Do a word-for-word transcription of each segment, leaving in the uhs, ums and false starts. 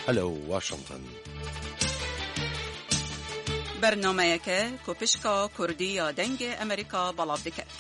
Hello Washington. Bernameyeke ku pişka Kurdî ya Dengê Amerîka belav diket.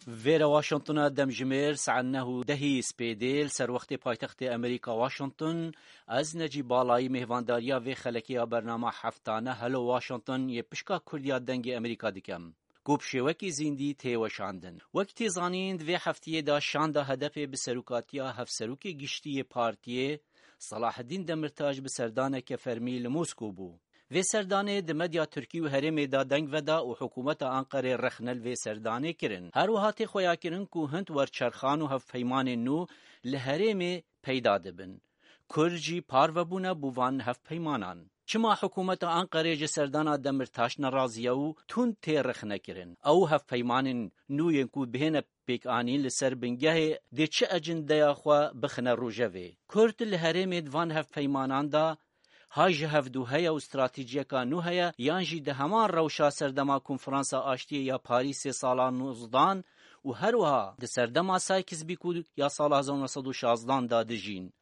Vêre Washingtona demjimêr saet neh û dehî spêdê li ser wextê paytextê Amerîka Washington. Ez Necîb Balayî mêhvandariya vê xelekê ya bernama heftane Hello Washington yê pişka Kurdiya Dengê Amerîka dikem, ku bi şêwekî zîndî tê weşandin. Wek tê zanîn, di vê heftiyê de şanda H D P bi serokatiya hevserokê giştî yê partiyê Selaheddîn Demirtaş bi serdaneke fermî li Moskow bû. Vê serdanê di medya Tirkî û herêmê de deng veda û hikûmeta Anqerê rexne li vê serdanê kirin. Her wiha tê xweyakirin ku hind werçerxan û hevpeymanên nû li herêmê peyda dibin. Kurd jî parve bûne bo van hevpeymanan. Çima hikûmeta Anqerê ji serdana Demirtaş nerazî ye û tund tê rexnekirin? Ew hevpeymanên nû yên ku bihêne pêkanîn li ser bingehê dê çi ecindeya xwe bixine rojevê? Kurd li herêmê di van hevpeymanan de ha ji hevdû heye û stratejiyeka nû heye, yan jî di heman rewşa serdema Konferansa Aştiyê ya Parîsê sala nozdan û her wiha di serdema Sykes-Picot ya sala hezar û neh sed û şazdan de dijîn?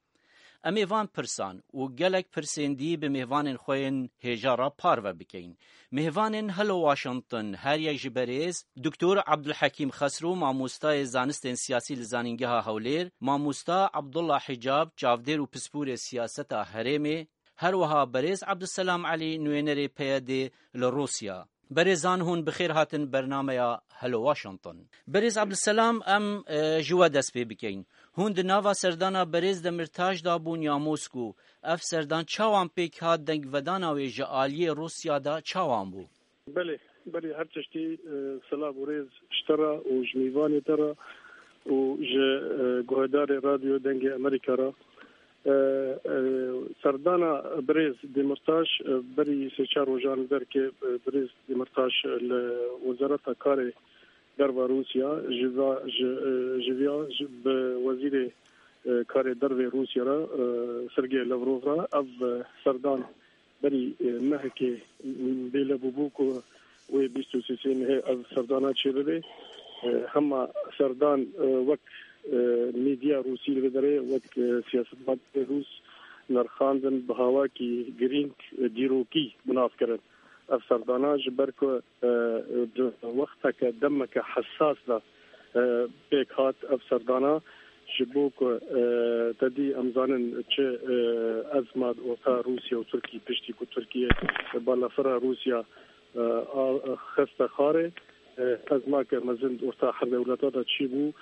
Em ê van pirsan û gelek pirsên dî bi mêvanên xwe yên hêja re parve bikeyin. Mêvanên Hello Washington, her yek ji berêz Doktor Abdulhekîm Xesro, mamostayê zanistên siyasî li Zanîngeha Hewlêr, mamosta Abdullah Hicab, çavdêr û pisporê siyaseta herêmê, her wiha berêz Abdulselam Elî, nûênerê P Y D'ê li Rûsya. Berêzan, hûn bi xêr hatin bernameya Hello Washington. Berêz Abdulselam, em, e, ji we dest pê bikeyin. Hûn di nava serdana berêz Demirtaş de bûn ya Moskow? Ev serdan çawan pêk hat, dengvedana wê ji aliyê Rûsya de çawan bû? Belê, belê, her tiştî, e, silav û rêz ji te re û ji mêvanê te re û ji, e, guhdarê Radyo Dengê Amerîka re. E, e, serdana birêz Demirtaş, e, berî sê çar rojan derkê, e, birêz Demirtaş li Wezareta Karê Derva Rûsya ji va-, ji, e, ji viya ji, bi wezîrê, e, karê dervê Rûsya re, e, Sergey Lavrov re ev, e, serdan berî, e, mehekê bêle bûbû ku wê bîst û sê mehê ev serdana çêbibe. E, hema serdan, e, wek, e, medya rûsî li vê derê, wek, e, siyasetmedarê rûs nerxandin bi hawakî girîng, e, dîrokî bi nav kirin. Ev serdana ji ber ku, e, di wexteke demeke hesas de, e, pêk hat ev serdana, ji bo ku, e, te dî em zanin çi, e, ezma di orta Rûsya û Tirkî, piştî ku Tirkiye balafira Rûsya, e, a, xiste xarê, e, ezmake mezin di orta her dewleta de çîbû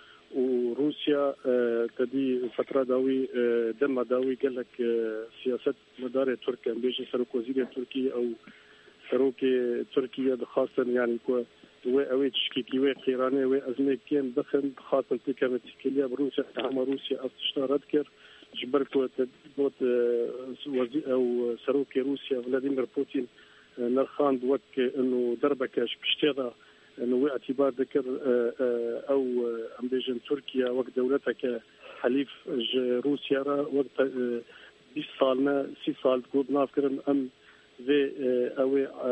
û Rûsya, e, te dî fetra dawî, e, dema dawî gelek, e, siyasetmedarê Tirk, em bêjin serokwezîrê Tirkî, ew serokê Tirkiye dixwastin, yanî ku wê ew ê tişkekî wê qêranê wê ezmê kêm bixin, dixwastin têkevin têkiliya bi Rûsya, hema Rûsya ev tişta red kir. Ji ber ku te got, e, wezî-, ew serokê Rûsya Vladimir Putin, e, nerxand wek, e, ino derbeke ji piştê de, e, ino wê etîbar dikir, e, e, ew, e, em bêjin Tirkiye wek dewleteke helîf ji Rûsya re wek te-, e, bîst sal ne, sî sal digot nav kirin, em vê, e, ew ê, e,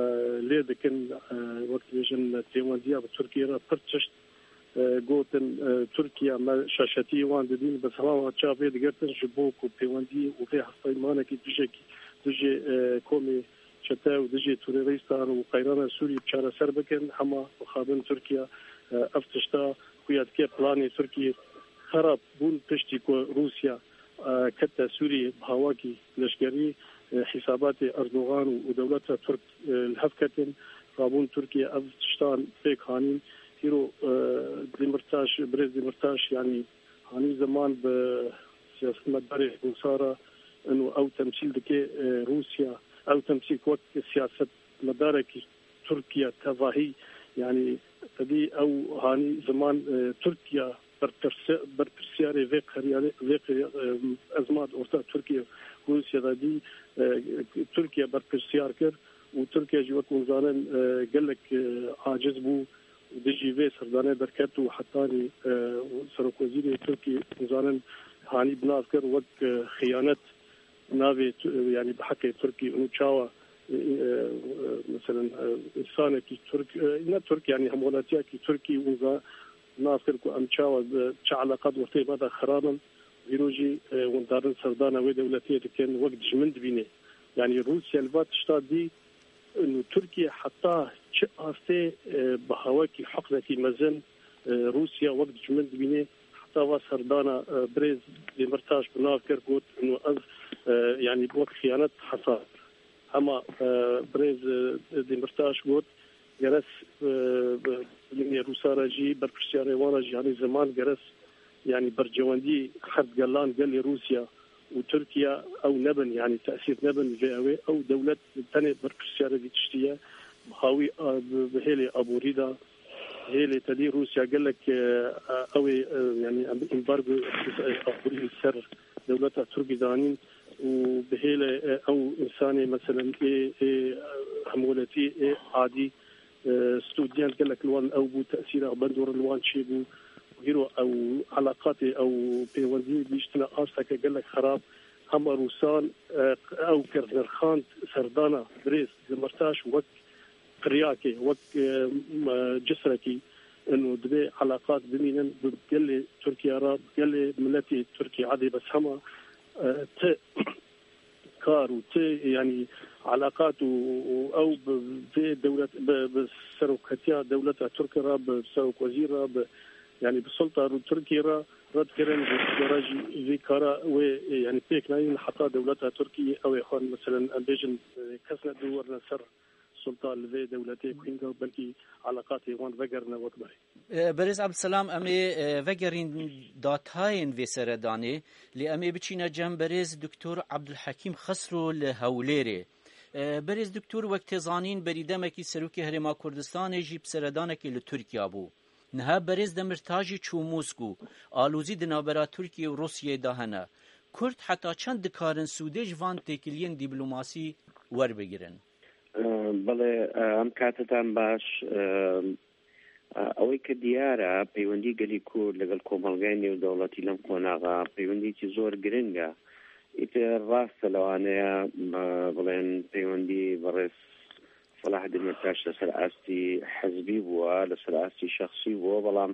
lê dikin, e, wek dibêjin pêwendiya bi Tirkiye re pir tişt, e, gotin, e, Tirkiye me şaşetiyê wan didîn, bi hema çav vê digirtin ji bo ku pêwendiyê û vê hevpeymanekî dijekî, dijî, e, komê çete û dijî terorîstan û qeyrana Sûrî çareser bikin, hema mixabin Tirkiye, e, ev tişta xuya dike planê Tirkiye xerab bûn piştî ku Rûsya, e, kete Sûriyê bi hawakî leşkerî, e, hîsabatê Erdogan û, û dewleta Tirk, e, li hev ketin. Rabûn Tirkiye ev tiştan pêk hanîn. Hîro, e, Demirtaş, birêz Demirtaş, yanî hanî ziman bi siyasetmedarê Rûsa re, ino ew temsîl dike, e, Rûsya. Ew temsîl wek siyasetmedarekî Tirkiye tevahî, yanî tedî ew hanî ziman, e, Tirkiye berpirse-, berpirsiyarê vê qeriyarê, vê qeriya-, e, ezma di orta Tirkiye û Rûsya de dî, e, Tirkiye berpirsiyar kir û Tirkiye jî wek hûn zanin, e, gelek, e, aciz bû û dijî vê serdanê derket û hetanî, e, serokwezîrê Tirkî hûn zanin hanî bi nav kir wek, e, xiyanet navê tu-, yanî bi heqê Tirkî û çawa e, e, meselen, e, însanekî Tirk, e, ne Tirk, yanî hemwelatiyekî Tirkî wiza nas kir ku em çawa, e, çi eleqat ortê me de xirab in. Îro jî, e, windarin serdana wê dewletê dikin, wek dijmin dibîne. Yanî Rûsya li va tişta dî, û Tirkiye heta çi astê, e, bi hawekî heqnekî mezin, e, Rûsya wek dijmin dibîne. Heta va serdana, e, birêz Demirtaş bi nav kir, got, û ez, e, yanî wek xiyanet hesab. Hema, e, birêz, e, Demirtaş got, geres, e, bi, Rûsa re jî, berpirsiyarê wan re jî, yanî ziman geres, yanî bercewendî heft gelan gelê Rûsya û Tirkiye ew nebin, yanî tesîr nebin vê ew ê. Ew dewlet tenê berpirsiyarê vî tiştî ye. Bi hawî, a, bi, bi hêlê aborî de, hêlê tedî Rûsya gelek, e, ew ê, e, yanî em embargo, e, aborî li ser dewleta Tirkî danîn û bi hêlê, e, ew însanê, meselen, ê, ê, hemwelatî, ê adî, e, student gelek li wan ew bû, tesîra bandor li wan çêbû. Hîro ew eleqatê, ew pêwendî gihîştine asteke gelek xerab. Hema Rûsan, e, ew kir nirxand serdana birêz Demirtaş wek qiryakê, wek, e, m-, cisrekî, ino divê eleqat bimînin bi gelê Tirkiye re, bi gelê miletê Tirkiye. Edê bes hema, e, ti kar û ti, yanî eleqat û, û ew bi vê dewlet, bi, bi seroketiya dewleta Tirk re, bi serokwezîr re, bi, yanî bi sulta Rû-, Tirkî re red kirin, ji re jî vî kara wê, yanî pêk nayîn heta dewleta Tirkî ew ê xwe, meselen, em bêjin, kes ne dû werine ser sulta li vê dewletê ku hînga belkî eleqatê wan vegerine wek berê. E, Berêz Abdulselam, em ê, e, vegerîn datayên vê seredanê, lê em ê biçîne cem berêz Doktor Abdulhekîm Xesro li Hewlêrê. E, berêz Doktor, wek tê zanîn, berî demekî Serokê Herêma Kurdistanê jî bi seredanekê li Tirkiya bû. Niha berêz Demirtaş jî çû Moskû. Alozî di navbera Tirkiye û Rûsyayê de hene. Kurd heta çend dikarin sûdê ji van têkiliyên dîplomasî werbigirin? Belê, em katetan baş. Ewê ke diyar e, peywendî gelî Kurd legel komelgayê nêwdewletî lem qonaxa peywendîkî zor giring e. Îtir rast e, lewaneye, e, bڵێن peywendî بەڕێز سەلاح دەمیرتاش لەسەر ئاستی حزبی بووە، لەسەر ئاستی شەخسی بووە، بەڵام،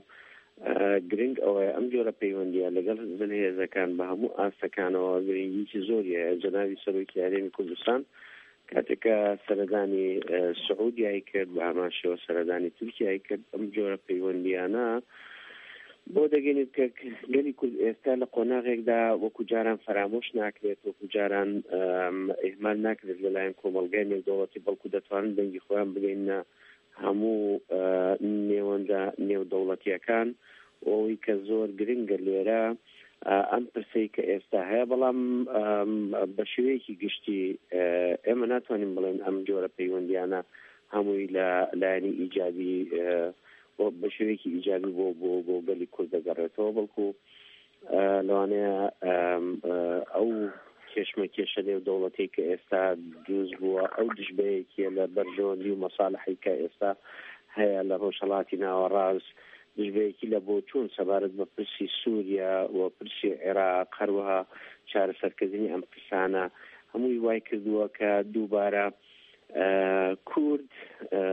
ئە، گرنگ ئەوەیە ئەم جۆرە پەیوەندیە لەگەڵ زلهێزەکان بە هەموو ئاستەکانەوە گرنگیکی زۆری هەیە. جەنابی سەرۆکی هەرێمی کوردستان کاتێکە سەردانی، ئە، سعودیای کرد، بە هەمان شێوە سەردانی تورکیای کرد، ئەم جۆرە پەیوەندیانە بۆ دەگەینێت کە گەلی کورد ئێستا لە قۆناغێکدا وەکو جاران فەرامۆش ناکرێت، وەکو جاران، ئەم، ئیهمال ناکرێت لەلایەن کۆمەڵگای نێودەوڵەتی، بەڵکو دەتوانن دەنگی خۆیان بگەینە هەموو، ئە، نێوەندە نێودەوڵەتیەکان. و ئەوەی کە زۆر گرنگە لێرە، ئە، ئەم پرسەی کە ئێستا هەیە، بەڵام، ئەم، بە شێوەیەکی گشتی، ئە، ئێمە ناتوانین بڵێن ئەم جۆرە پەیوەندیانە هەمووی لە لایەنی ئیجابی، ئە، بۆ، بە شێوەیەکی ئیجابی بۆ، بۆ، بۆ گەلی کورد دەگەڕێتەوە، بەڵکو، ئە، لەوانەیە، ئەم، ئە، ئەو کێشمە کێشە نێو دەوڵەتی کە ئێستا دروست بووە، ئەو دژبەیەکیە لە بەرژەوەندی و مەساڵحی کە ئێستا هەیە لە ڕۆژهەڵاتی ناوەڕاست، دژبەیەکی لە بۆچوون سەبارەت بە پرسی سووریا و پرسی عێراق، هەروەها چارەسەرکردنی ئەم پرسانە، هەمووی وای کردووە کە دووبارە، ئە، کورد، ئە،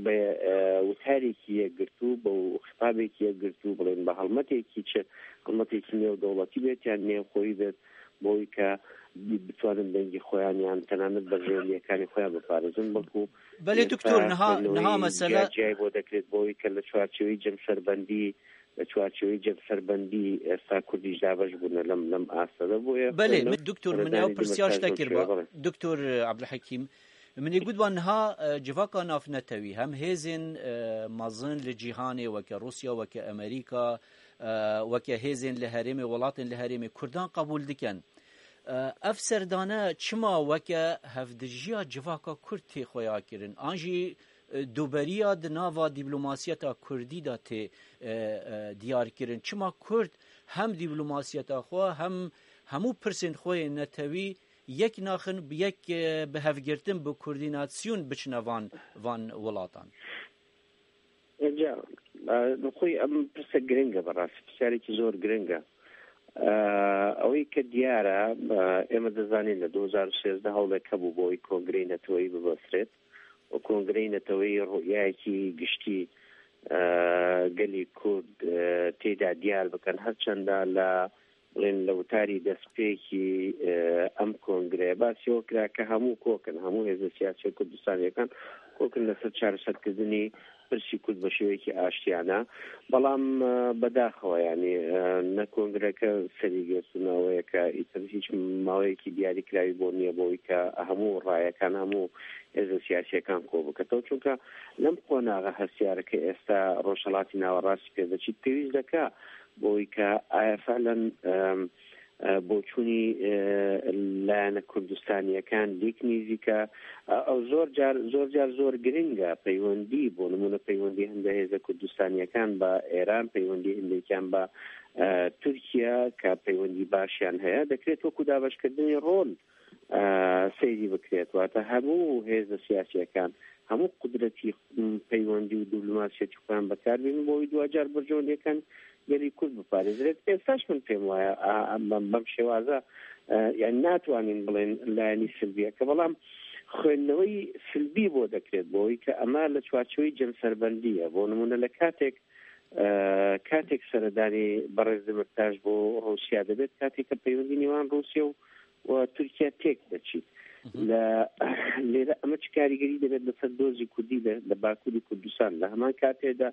بە، ئە، وتارێکی یەکگرتوو، بە خطابێکی یەکگرتوو، بڵێن بە هەڵمەتێکی چ، هەڵمەتێکی نێو دەوڵەتی بێت یان نێوخۆیی بێت، بۆی کە بتوانن دەنگی خۆیان یان تەنانەت بەرژەوەندیەکانی خۆیان بپارێزن، بەڵکو بەلێ ئێستا دکتۆر، نها، خوێندنەوەی نها مەسەلە جیاجیای بۆ دەکرێت بۆی کە لە چوارچێوەی جەمسەربەندی، لە چوارچێوەی جەمسەربەندی ئێستا کوردیش دابەش بوونە لەم، لەم ئاستەدا. بۆیە بەلێ، خوێندن-، من دکتۆر، من ئەو خوێندنانی پرسیار دەمەتاش شتە بۆ کرد شوێ، با. بەڵێ. دکتۆر، ئە، عەبدولحەکیم، من ێ گوت وان نها، ئە، جڤاکا نافنەتەوی، هەم هێزێن، ئە، مەزن لە جیهانێ، وەکە رووسیا، وەکە ئەمریکا، ئە، وەکە هێزێن لە هەرێمێ، وڵاتێن لە هەرێمێ، کوردان قبول دکەن. ئە، ئەف سەردانە چما وەکە هەفدژیە جڤاکا کورد تێ خۆیا کرن؟ ئان ژی، ئە، دوبەریا د ناوا دیبلوماسیەتا کوردی دا تێ، ئە، ئە، دیار کرن؟ چما کورد هەم دیبلوماسیەتا خۆ، هەم هەموو پرسێن خۆ یێ نەتەوی یەک ناخن، بە یەک، ئە، بە هەفگرتن، بە کوردیناسیون بچنە وان، وان وڵاتان؟ جا، ئە، خۆی ئەم پرسە گرنگە، بەڕاستی پرسیارێکی زۆر گرنگە. ئە، ئەوەی کە دیارە، ئە، ئێمە دەزانین لە دوو هەزار و سێزدە هەوڵێک هەبوو بۆی کۆنگرەی نەتەوەیی ببەسرێت و کۆنگرەی نەتەوەیی ڕوئیایەکی گشتی، ئە، گەلی کورد، ئە، تێدا دیار بکەن، هەرچەندە لە، بڵێن، لە وتاری دەستپێکی، ئە، ئەم کۆنگرەیە باسی ئەوە کرا کە هەموو کۆکن، هەموو هێزە سیاسیە کوردستانیەکان کۆکن لەسەر چارەسەرکردنی پرسی کورد بە شێوەیەکی ئاشتیانە. بەڵام، ئە، بەداخەوە، یعنی، ئە، نە کۆنگرەکە سەری گرت و نەوەیەکە ئیتر هیچ ماوەیەکی دیاریکراوی بۆ نییە بۆی کە هەموو ڕایەکان، هەموو هێزە سیاسیەکان کۆ بکەتەوە، چونکە لەم قۆناغە هەستیارەکە ئێستا ڕۆژهەڵاتی ناوەڕاستی پێدەچیت، پێویست دەکا بۆی کە ئایا فعلەن، ئەم، ئە، بۆچوونی، ئە، لایەنە کوردستانیەکان لێک نیزیکە. ئە، ئەو زۆر جار، زۆر جار زۆر گرنگە پەیوەندی، بۆ نمونە پەیوەندی هەندە هێزە کوردستانیەکان بە ئێران، پەیوەندی هەندێکیان بە، ئە، تورکیا کە پەیوەندی باشیان هەیە، دەکرێت وەکو دابەشکردنی ڕۆل، ئە، سەیری بکرێت. واتە هەموو هێزە سیاسیەکان، هەموو قودرەتی، م، پەیوەندی و دیبلۆماسیەتی خۆیان بەکاربێنن بۆ ئەوەی دواجار بەرژەوەندیەکان گەلی کورد بپارێزرێت. ئێستاش من پێم وایە، ئا، ئا، بەم، بەم شێوازە، ئە، یان ناتوانین بڵێن لایەنی سلبیەکە، بەڵام خوێندنەوەی سلبی بۆ دەکرێت، بۆ ئەوەی کە ئەمە لە چوارچێوەی جەمسەربەندیە. بۆ نمونە لە کاتێک، ئە، کاتێک سەردانی بەڕێز دمرتاش بۆ ڕووسیا دەبێت، کاتێک کە پەیوەندی نێوان ڕووسیا و، و تورکیا تێک دەچیت. لە، لێرە ئەمە چ کاریگەری دەبێت لەسەر دۆزی کوردی لە، لە باکووری کوردستان؟ لە هەمان کاتێدا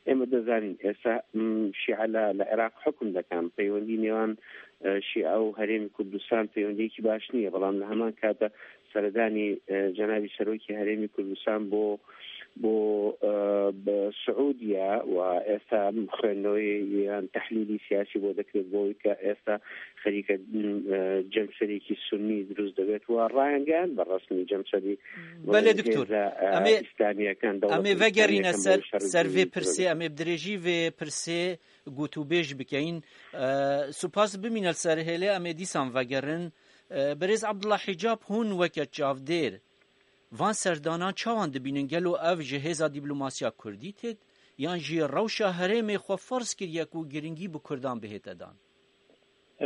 ئێمە دەزانین ئێستا، م، شیعە لە، لە عێراق حکم دەکەن. پەیوەندی نێوان، ئە، شیعە و هەرێمی کوردستان پەیوەندیەکی باش نییە، بەڵام لە هەمان کاتدا سەردانی، ئە، جەنابی سەرۆکی هەرێمی کوردستان بۆ، بۆ، ئە، بە سعودیا و ئێستا خوێندنەوەی یان تەحلیلی سیاسی بۆ دەکرێت، بۆی کە ئێستا خەریکە، ئە، جەمسەرێکی سونی دروست دەبێت و ڕایانگەیان بە ڕەسمی جەمسەری بەڵێ، دکتۆر. هێزە، ئە، ئەمێ، ئیسلامیەکان، دەوڵەتە ئەمێ ڤەگەرینە ئیسلامیەکان سەر، بۆ شەڕ سەر ڤێ دروست پرسێ، دەبێت. ئەمێ درێژی ڤێ پرسێ گوتوبێژ بکەین. ئە، سوپاس بمینە سەر هێلێ، ئەمێ دیسان ڤەگەرن. ئە، بەرێز عەبدوڵا حیجاب هون وەکە چاودێر. Van serdanan çawan dibînin? Gelo ev ji hêza dîplomasiya kurdî têt, yan jî rewşa herêmê xwe ferz kiriye ku giringî bi kurdan bihête dan?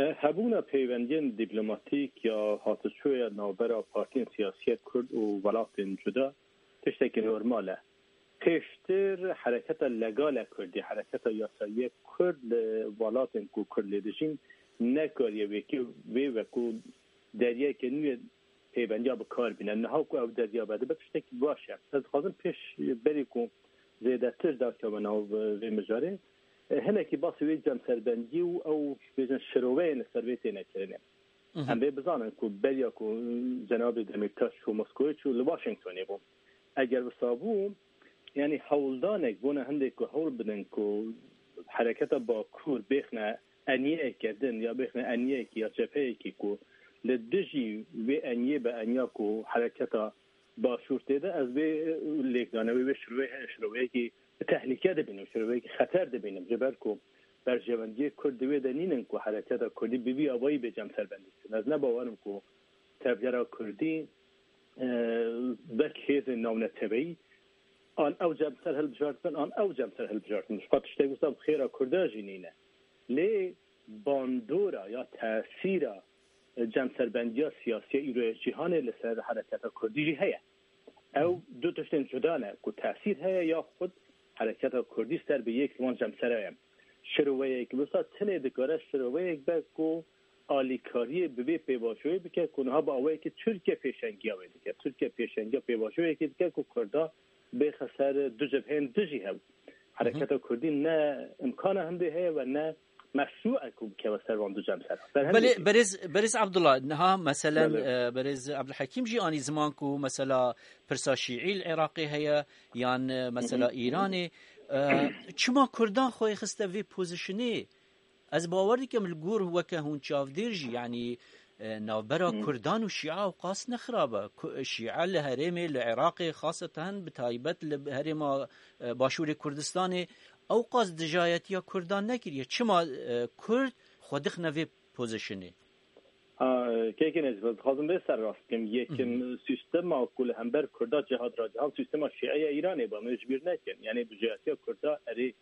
E, hebûna peywendiyên dîplomatîk ya hatiçûya navbera partiyên siyasî yek kurd û welatên cuda tiştekî normal e. Pêştir hereketa legal e kurdî, hereketa yasayî ye kurd li welatên ku kurd lê dijîn nekariye wekî vê wekû deryayeke nû yê peyvendiya bi kar bîne. Niha ku ew derya vedibe tiştekî baş e. Ez dixwazim pêş berî ku zêdetir derkeve nav vê mijarê, e, hinekî basî wê cemserbendiyê û ew bêjin şiroveyên li ser vê têne kirinê. Mhm. Em vê bizanin ku beriya ku cenabê Demîrtaş çû Moskowê çû li Washingtonê bû. Eger wisa bû, yanî hewldanek bona hindê ku hewl bidin ku hereketa Bakur bêxne eniyeyeke din ya bêxne eniyeyekî ya cepheyekî ku li dijî vê eniyê be eniya ku hereketa Başûr tê de, ez vê lêkdane wê, wê şirove-, şiroveyekî tehlîke dibînim, şiroveyekî xeter dibînim. Ji ber ku berjewendiyê Kurd di wê de nînin ku hereketa Kurdî bi vî awayî bê cemserbendî kirin. Ez ne bawer im ku tevgera Kurdî, e, wek hêzên navneteweyî an ew cemser hilbijartin, an ew cemser hilbijartin. Ji xwe tiştek wisa bi xêra Kurda jî nîne. Lê bandora ya tesîra, e, cemserbendiya siyasî ya îroya cîhanê li ser hereketa Kurdî jî heye. Ew du tiştên cuda ne ku tesîr heye ya xud hereketa Kurdî ser bi yek ji wan cemsera ye. Şiroweyek wisa tenê dikare şiroweyek be ku alîkariyê bi vê pêvajoyê bike ku niha bi awayekî Tirkiye pêşengiya wê dike. Tirkiye pêşengiya pêvajoyekê dike ku Kurda bêxe ser du cebheyên dijî hev. Hereketa Kurdî ne imkana hindê heye ve ne meşrû e ku bikeve ser van du cemsera. Belê, berêz, berêz Abdullah, niha meselen, Belê. e, berêz Abdulhekîm jî anî ziman ku mesela pirsa Şîî li Iraqê heye, yan, e, mesela Îranê. E, çima Kurdan xwe xiste vê pozîşinê? Ez bawer dikim li gor weke hûn çavdêr jî, yanî, e, navbera Kurdan û Şîa ewqas ne xirab e. Ku-, Şîa li herêmê, li Iraqê, xaseten bi taybet li herêma, e, Başûrê Kurdistanê ewqas dijayetiya Kurdan nekiriye. Çima, e, Kurd xwe dixine vê pozîşinê? Ha, kekê Necîf, ez dixwazim vê serrast bikim. Yekim Mhm. Sîstema ku li hember Kurda cihat ra cihat sîstema Şîeya Îranê be, em ê ji bîr nekin. Yanî dijayetiya Kurda erê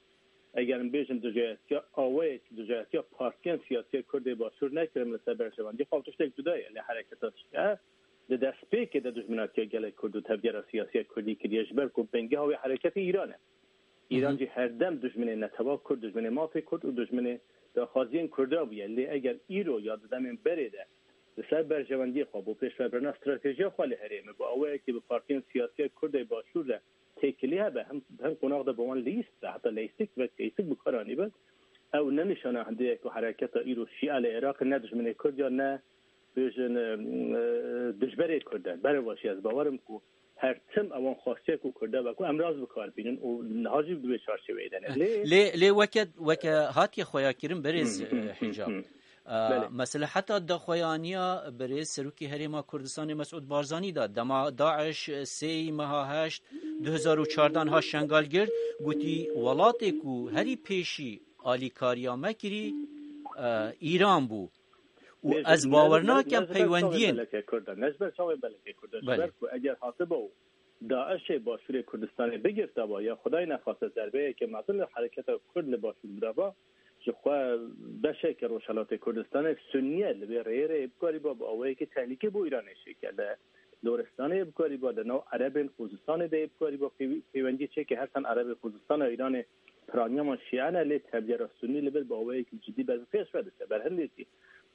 Eger em bêjin dijayetiya awayekî, dijayetiya partiyên siyasî ya Kurdê Başûr nekirin li ser berjewendî xwe, ew tiştek cuda ye. Lê hereketa şiya di destpêkê de dijminatiya gelê Kurd û tevgera siyasî ya Kurdî kiriye, ji ber ku bingeha wê hereketê Îran e. Îran jî her dem dijminê netewa Kurd, dijminê mafê Kurd û dijminê daxwaziyên Kurda bûye. Lê eger îro ya di demên berê de li ser berjewendiyê xwe, bo pêşvebirina stratejiya xwe li herêmê, bi awayekî bi partiyên siyasî ya Kurdê Başûr de têkilî hebe, hem, hem qonax de bi wan leyîst be, heta leyîstik ve leyîstik bi kar anî be, ew ne nîşana hindê ye ku hereketa îro Şîa li Iraqê ne dijminê Kurd ya ne bêjin, e, e, dijberê Kurd e. Berevaşî ez bawer im ku her tim ewan xwestiye ku Kurda be ku em rast bi kar bînin û niha jî di wê çarçeveyê de ne. Lê Lê, lê weke, weke hatiye xweyakirin berêz, Hı, hı, e, hı, Hicab. hı. E, Belê. Mesela heta daxweyaniya berêz Serokê Herêma Kurdistanê Mesûd Barzanî da dema DAIŞ sêyî meha heşt du hezar û çardan ha Şengal girt, gotî welatê ku herî pêşî alîkariya me kirî, e, Îran bû. Û Bêjin ez ne, bawer ne, nakem ne ji ber çavê peywendiyên belekê Kurd e, ne ji ber çavê belekê Kurd e, ji Belê. ber ku eger hatiba û DAIŞê Başûrê Kurdistanê bigirtaba ya Xwedayê nexwaste zerbeyeke mezin li hereketa Kurd li Başûr bidaba, ji xwe beşeke Rojhelatê Kurdistanê Sunniye li vê rêyê re yê bikarîba bi awayekî tehlîkê bo Îranê çêke. Li Loristanê yê bikarîba, li nav Erebên Xuzistanê de yê bikarîba pêw-, peywendiyê çêke, her çend Erebê Xuzistana Îranê piraniya wan Şîe ne, lê tevgera Sunnî li vir bi awayekî cidî ber bi pêş ve diçe. Ber hindê jî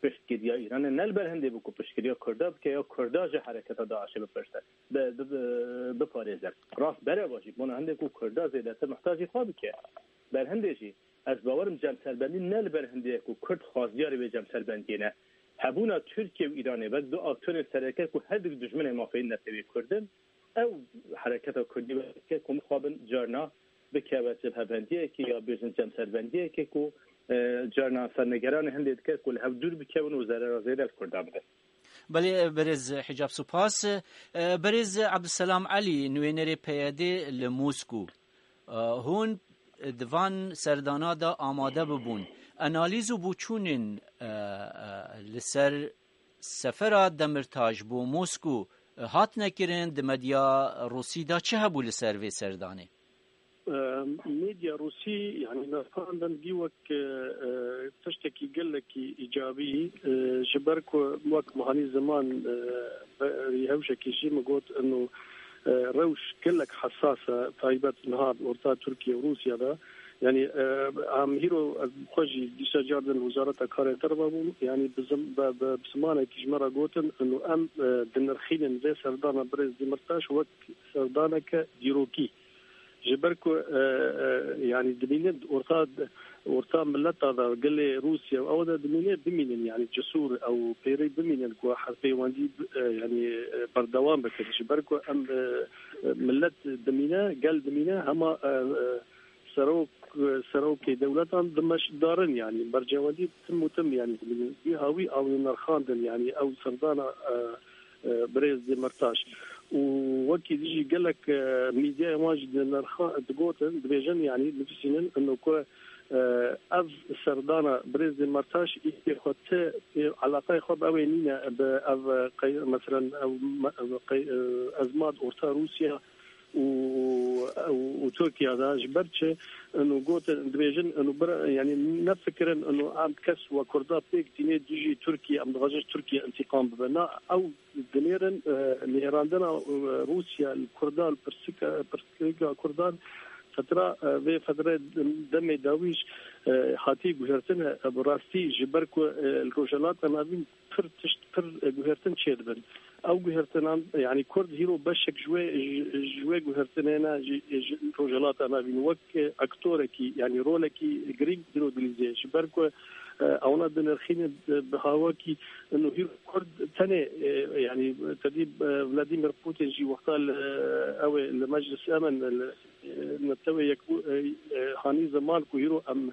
piştgiriya Îranê ne li ber hindê bû ku piştgiriya Kurda bike ya Kurda ji hereketa DAIŞê bipirse, bi, bi, bi, biparêze. Rast bereva jî bona hindê ku Kurda zêdetir mihtacî xwe bike. Ber hindê jî ez bawer im cemserbendî ne li ber hindê ye ku Kurd xwaziyarê vê cemserbendiyê ne. Hebûna Tirkiye û Îranê wek du aktorên sereke ku her du dijminê mafê netewê Kurd in, ew hereketa Kurdî weke ku mixabin carna bikeve cebhebendiyekê ya bêjin cemserbendiyekê ku, e, carna ser nigeranê hindê dike ku li hev dûr bikevin û zerera zêde li Kurdan bide. Belê, berêz Hicab, spas. E, berêz Abdulselam Elî, nûênerê P Y D li Moskû. E, hûn di van serdana de amade bibûn. Analîz û boçûnên, e, e, li ser sefera Demirtaş bo Moskû, e, hatine kirin, di medya Rûsî de çi hebû li ser vê serdanê? E, Medya Rûsî, yanî, nerxandin gî wek, e, e, tiştekî gelekî îcabî, e, ji ber ku wek mehanî ziman, e, be-, hewşekî jî min got, ino, e, rewş gelek hesas e, taybet niha orta Tirkiye û Rûsya de. Yanî, e, em hîro, e, xwe jî dîsa car din wezareta karê derve bûn. Yanî bi zim-, be, be, bi zimanekî ji me re gotin, ino em, e, dinirxînin vê serdana birêz Demirtaş wek serdaneke dîrokî. Ji ber ku, e, e, yanî dimînin orta, orta mileta de gelê Rûsya û ew de dimîne bimînin, yanî cisûr ew pêrê bimînin ku her peywendî, e, yanî, e, berdewam bikin. Ji ber ku em, e, e, millet dimîne, gel dimîne, hema, e, e, serok, serokê dewletan dimeşdarin, yanî bercewendî tim û tim, yanî dimînin. Wî hawî ew nerxandin, yanî ew serdana, e, e, birêz Demirtaş. Û wekî dijî gelek, e, mîdyayên wan jî di nerxa-, digotin, dibêjin, yanî nivîsînin, ino ku, e, ev serdana birêz Demirtaş îtê xwe ti, e, eleqeyê xwe bi ew ê nîne, bi ev, e, qey-, meselen, ev me-, ev qey-, e, ezmat orta Rûsya û, û, û Tirkiye de ji ber çi ino gotin, dibêjin, ino bir, yanî nefikirin, ino em kes we Kurda pêk tînê dijî Tirkiye, em dixwazin ji Tirkiye întîqam bibe. Na, ew dinêrin, e, nêrandina, e, Rûsya li Kurdan, pirsika, pirsgirêka Kurdan, fetra, e, vê fetre demê dawî jî, e, hatî guhertin, e, bi rastî ji ber ku, e, li Rojhilata Navîn pir tişt, pir, e, guhertin çêdibin. Ew guhertinan, yanî Kurd hîro beşek ji wê, ji, ji wê guhertinê ne, ji, ji Rojhilata Navîn wek, e, aktorekî, yanî rolekî girîng hîro dilîzê. Ji ber ku, e, ewna dinirxînin, e, bi hawakî, ino hîro Kurd tenê, e, yanî tedî, e, Vladimir Putin jî wexta li, e, ew ê li Meclis Emin, li, e, Netewê Yekbû-, e, e, hanî ziman ku hîro em,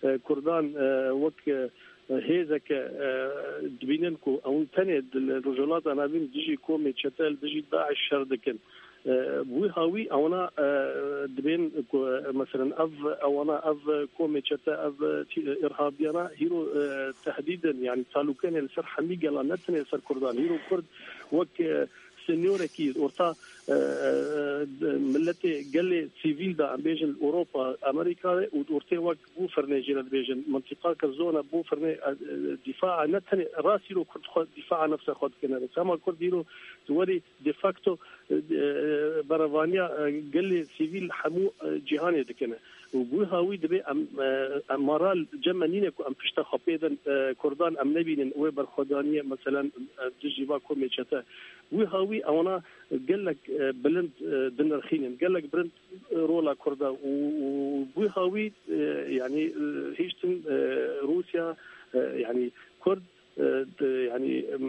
e, Kurdan, e, wek, e, hêzeke, e, dibînin ku ew tenê di, li Rojhilata Navîn dijî komê çete, li dijî DAIŞ şer dikin. E, wî hawî ewana, e, dibên ku, e, meselen ev, ewana ev komê çete, ev, e, tî-, e, îrhabiyana hîro, e, tehdîdin, yanî talûkenê li ser hemî gelan, ne tenê ser Kurdan. Hîro Kurd wek, e, Seniyorekî orta, e, e, miletê gelê sivîl de, em bêjin, li Ewropa, Amerîka de û ortê wek Bûfirnê jî re dibêjin. Mintiqa ke zona Bûfirnê, e, e, dîfaa ne tenê rastî ro Kurd xwe dîfaa nefsa xwe dikine. Dema Kurd îro tu werî de facto, e, e, berevaniya, e, gelê sivîl hemû, e, cîhanê dikine. Û bi wî hawî dibê em, e, em mara li cem me nîne ku em pişta xwe pê din, e, Kurdan em nebînin, wê berxwedaniyê, meselen, e, dijî va komê çete. Wî hawî ewana gelek, e, bilind, e, dinirxînin, gelek bilind, e, rola Kurda û, û bi wî hawî, e, yanî, e, hiştin, e, Rûsya, e, yanî Kurd, e, de, yanî, em,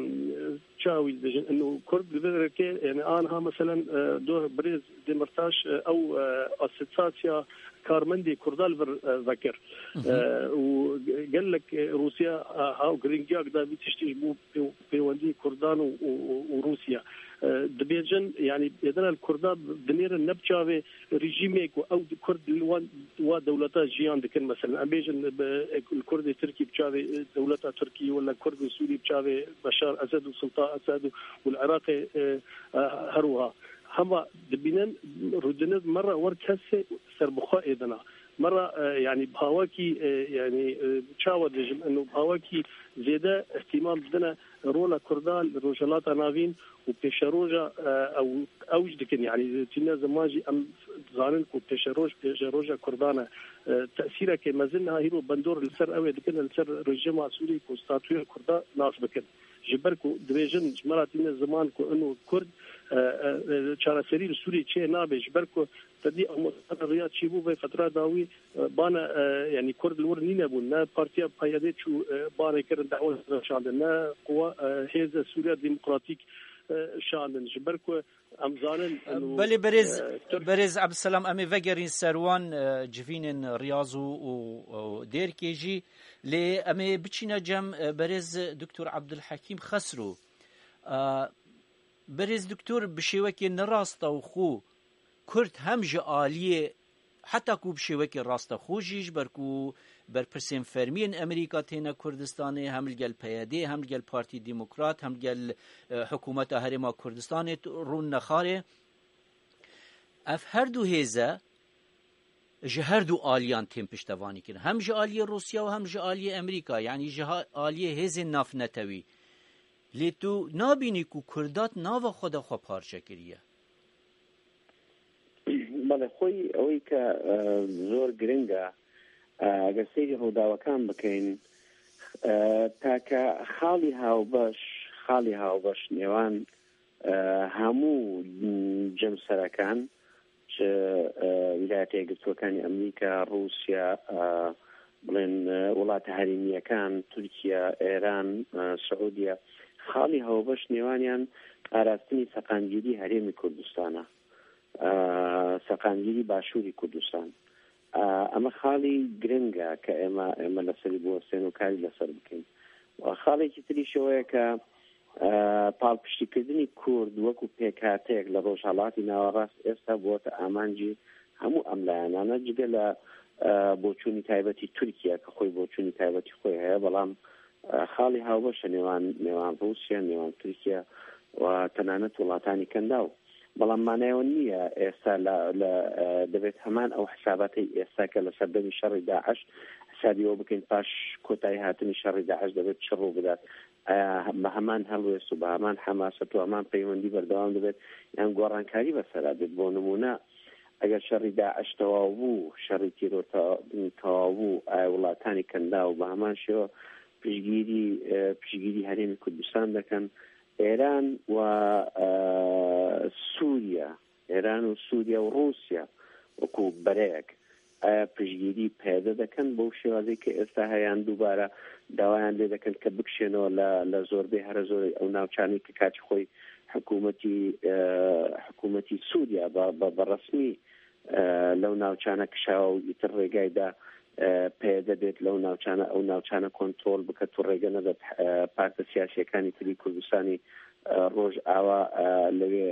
çawa wî dibêjin, ino Kurd li vê derê, yanî, anha, meselen, e, doh birêz Demirtaş, e, ew, e, asosiyasiya karmendê Kurda li vir, e, vekir. E, û ge-, gelek, e, Rûsya, e, ha, giringiyak da vî tiştî ji bo pê-, pêwendiyê Kurdan û, û, û, û Rûsya. E, dibêjin, yanî, êdina li Kurda dinêrin ne bi çavê rejîmê ku ew di Kurd li wan, wa dewleta jiyan dikin, meselen, em bêjin, bi, li Kurdê Tirkî bi çavê, e, dewleta Tirkî, wela Kurdê Sûrî bi çavê Beşar Esed û Sultan Esed û, û li Iraqê, e, e, her wiha. Hema dibînin rûdiniv me re wer kesê serbixwe êdina. Me re, e, yanî bi hawekî, e, yanî, e, çawa dibêjim, eno bi hawekî zêde îhtîmam didine rola Kurda li Rojhilata Navîn û pêşeroja, e, ew, ew jî dikin. Yanî tîne ziman jî em zanin ku pêşeroj, pêşeroja Kurdan e. E, tesîrekê mezin niha hîro bandor li ser ew ê dikin, li ser rejîma Sûriyê ku statûya Kurda nas bikin. Ji ber ku dibêjin, ji me re tîne ziman ku ino Kurd, e, e, e, çareserî li Sûriyê çê nabe, ji ber ku te dî amosana riya çêbû vê fetra dawî, e, bane, e, yanî Kurd li wir nîne bûn. Ne Partiya P Y D çû, e, banê kirin, dawet şandin, ne quwa, e, Hêze Sûriya Demokratîk, e, şandin. Ji ber ku em zanin, eno, Belê berêz, e, Tirk berêz Ebdselam, em ê vegerîn ser wan, e, civînên riyaz û, û, û dêrkê jî. Lê em ê biçîne cem, e, berêz Doktor Abdulhekîm Xesro. E, Berêz Doktor, bi şêwekê ne rastewxo Kurd hem ji aliyê, heta ku bi şêwekê rastewxo jî, ji ber ku berpirsên fermî yên Amerîka têne Kurdistanê, hem li gel P Y D, hem li gel Partî Demokrat, hem li gel, e, Hikûmeta Herêma Kurdistanê rûn nexarê. Ev her du hêze ji her du aliyan tên piştevanî kirin. Hem ji aliyê Rûsya û hem ji aliyê Amerîka, yanî ji ha-, aliyê hêzên navnetewî. Lê tu nabînî ku Kurdat nava xwe de xwe parçe kiriye? Belê, xwey ewê ke, e, zor giring e, e, eger seyrî rûdawekan bikeyn, e, take xalî hawbeş, xalî hawbeş nêwan, e, hemû cem serekan, ji, e, Wîlayetê Yekgirtûekanî Amerîka, Rûsya, e, bڵێن، e، وڵاتە هەرێمییەکان، تورکیا، ئێران، e، سعودیە، خاڵی هاوبەش نێوانیان پاراستنی سەقامگیری هەرێمی کوردستانە، e، سەقامگیری باشووری کوردستان. E، ئەمە خاڵی گرنگە کە ئێمە، ئێمە لەسەری بوەستێن و کاری لەسەر بکەین. و خاڵێکی تریشەوەیە کە، e، پاڵپشتیکردنی کورد وەکو پێکهاتەیەک لە ڕۆژهەڵاتی ناوەڕاست ئێستا بووەتە ئامانجی هەموو ئەم لایەنانە، جگە لە، e، بۆچوونی تایبەتی تورکیا کە خۆی بۆچوونی تایبەتی خۆی هەیە، بەڵام، e، خاڵی هاوبەشە نێوان، نێوان ڕووسیا، نێوان تورکیا و تەنانەت وڵاتانی کەنداو. بەڵام مانایەوە نییە ئێستا لە، لە، e، دەبێت هەمان ئەو حساباتی ئێستا کە لە سەردەمی شەڕی داعش حسابی ئەوە بکەین پاش کۆتایی هاتنی شەڕی داعش دەبێت چ ڕوو بدات. ئایا بە هەمان هەڵوێست و بە هەمان حەماسەت و هەمان پەیوەندی بەردەوام دەبێت، یان گۆڕانکاری بەسەرا بێت؟ بۆ نمونە، ئەگەر شەڕی داعش تەواو بوو، شەڕی تیرۆر تەوا-، تەواو بوو، ئایا وڵاتانی کەنداو بە هەمان شێوە پشگیری، ئە، پشگیری هەرێمی کوردستان دەکەن؟ ئێران و، ئە، سووریا، ئێران و سووریا و ڕووسیا وەکو بەرەیەک، ئایا پشگیری پەیەدە دەکەن بەو شێوازەی کە ئێستا هەیان دووبارە داوایان لێ دەکەن کە بکشێنەوە لە، لە زۆربەی هەرە زۆری ئەو ناوچانەی کە کاتی خۆی حکوومەتی، ئە، حکوومەتی سووریا بە، بە، بە ڕەسمی، ئە، لەو ناوچانە کشاوە و ئیتر ڕێگایدا، ئە، پەیەدە بێت لەو ناوچانە، ئەو ناوچانە کۆنترۆل بکەت و ڕێگە نەدەت، ئە، پارتە سیاسیەکانی تری کوردستانی، ئە، ڕۆژ ئاوا، ئە، لەوێ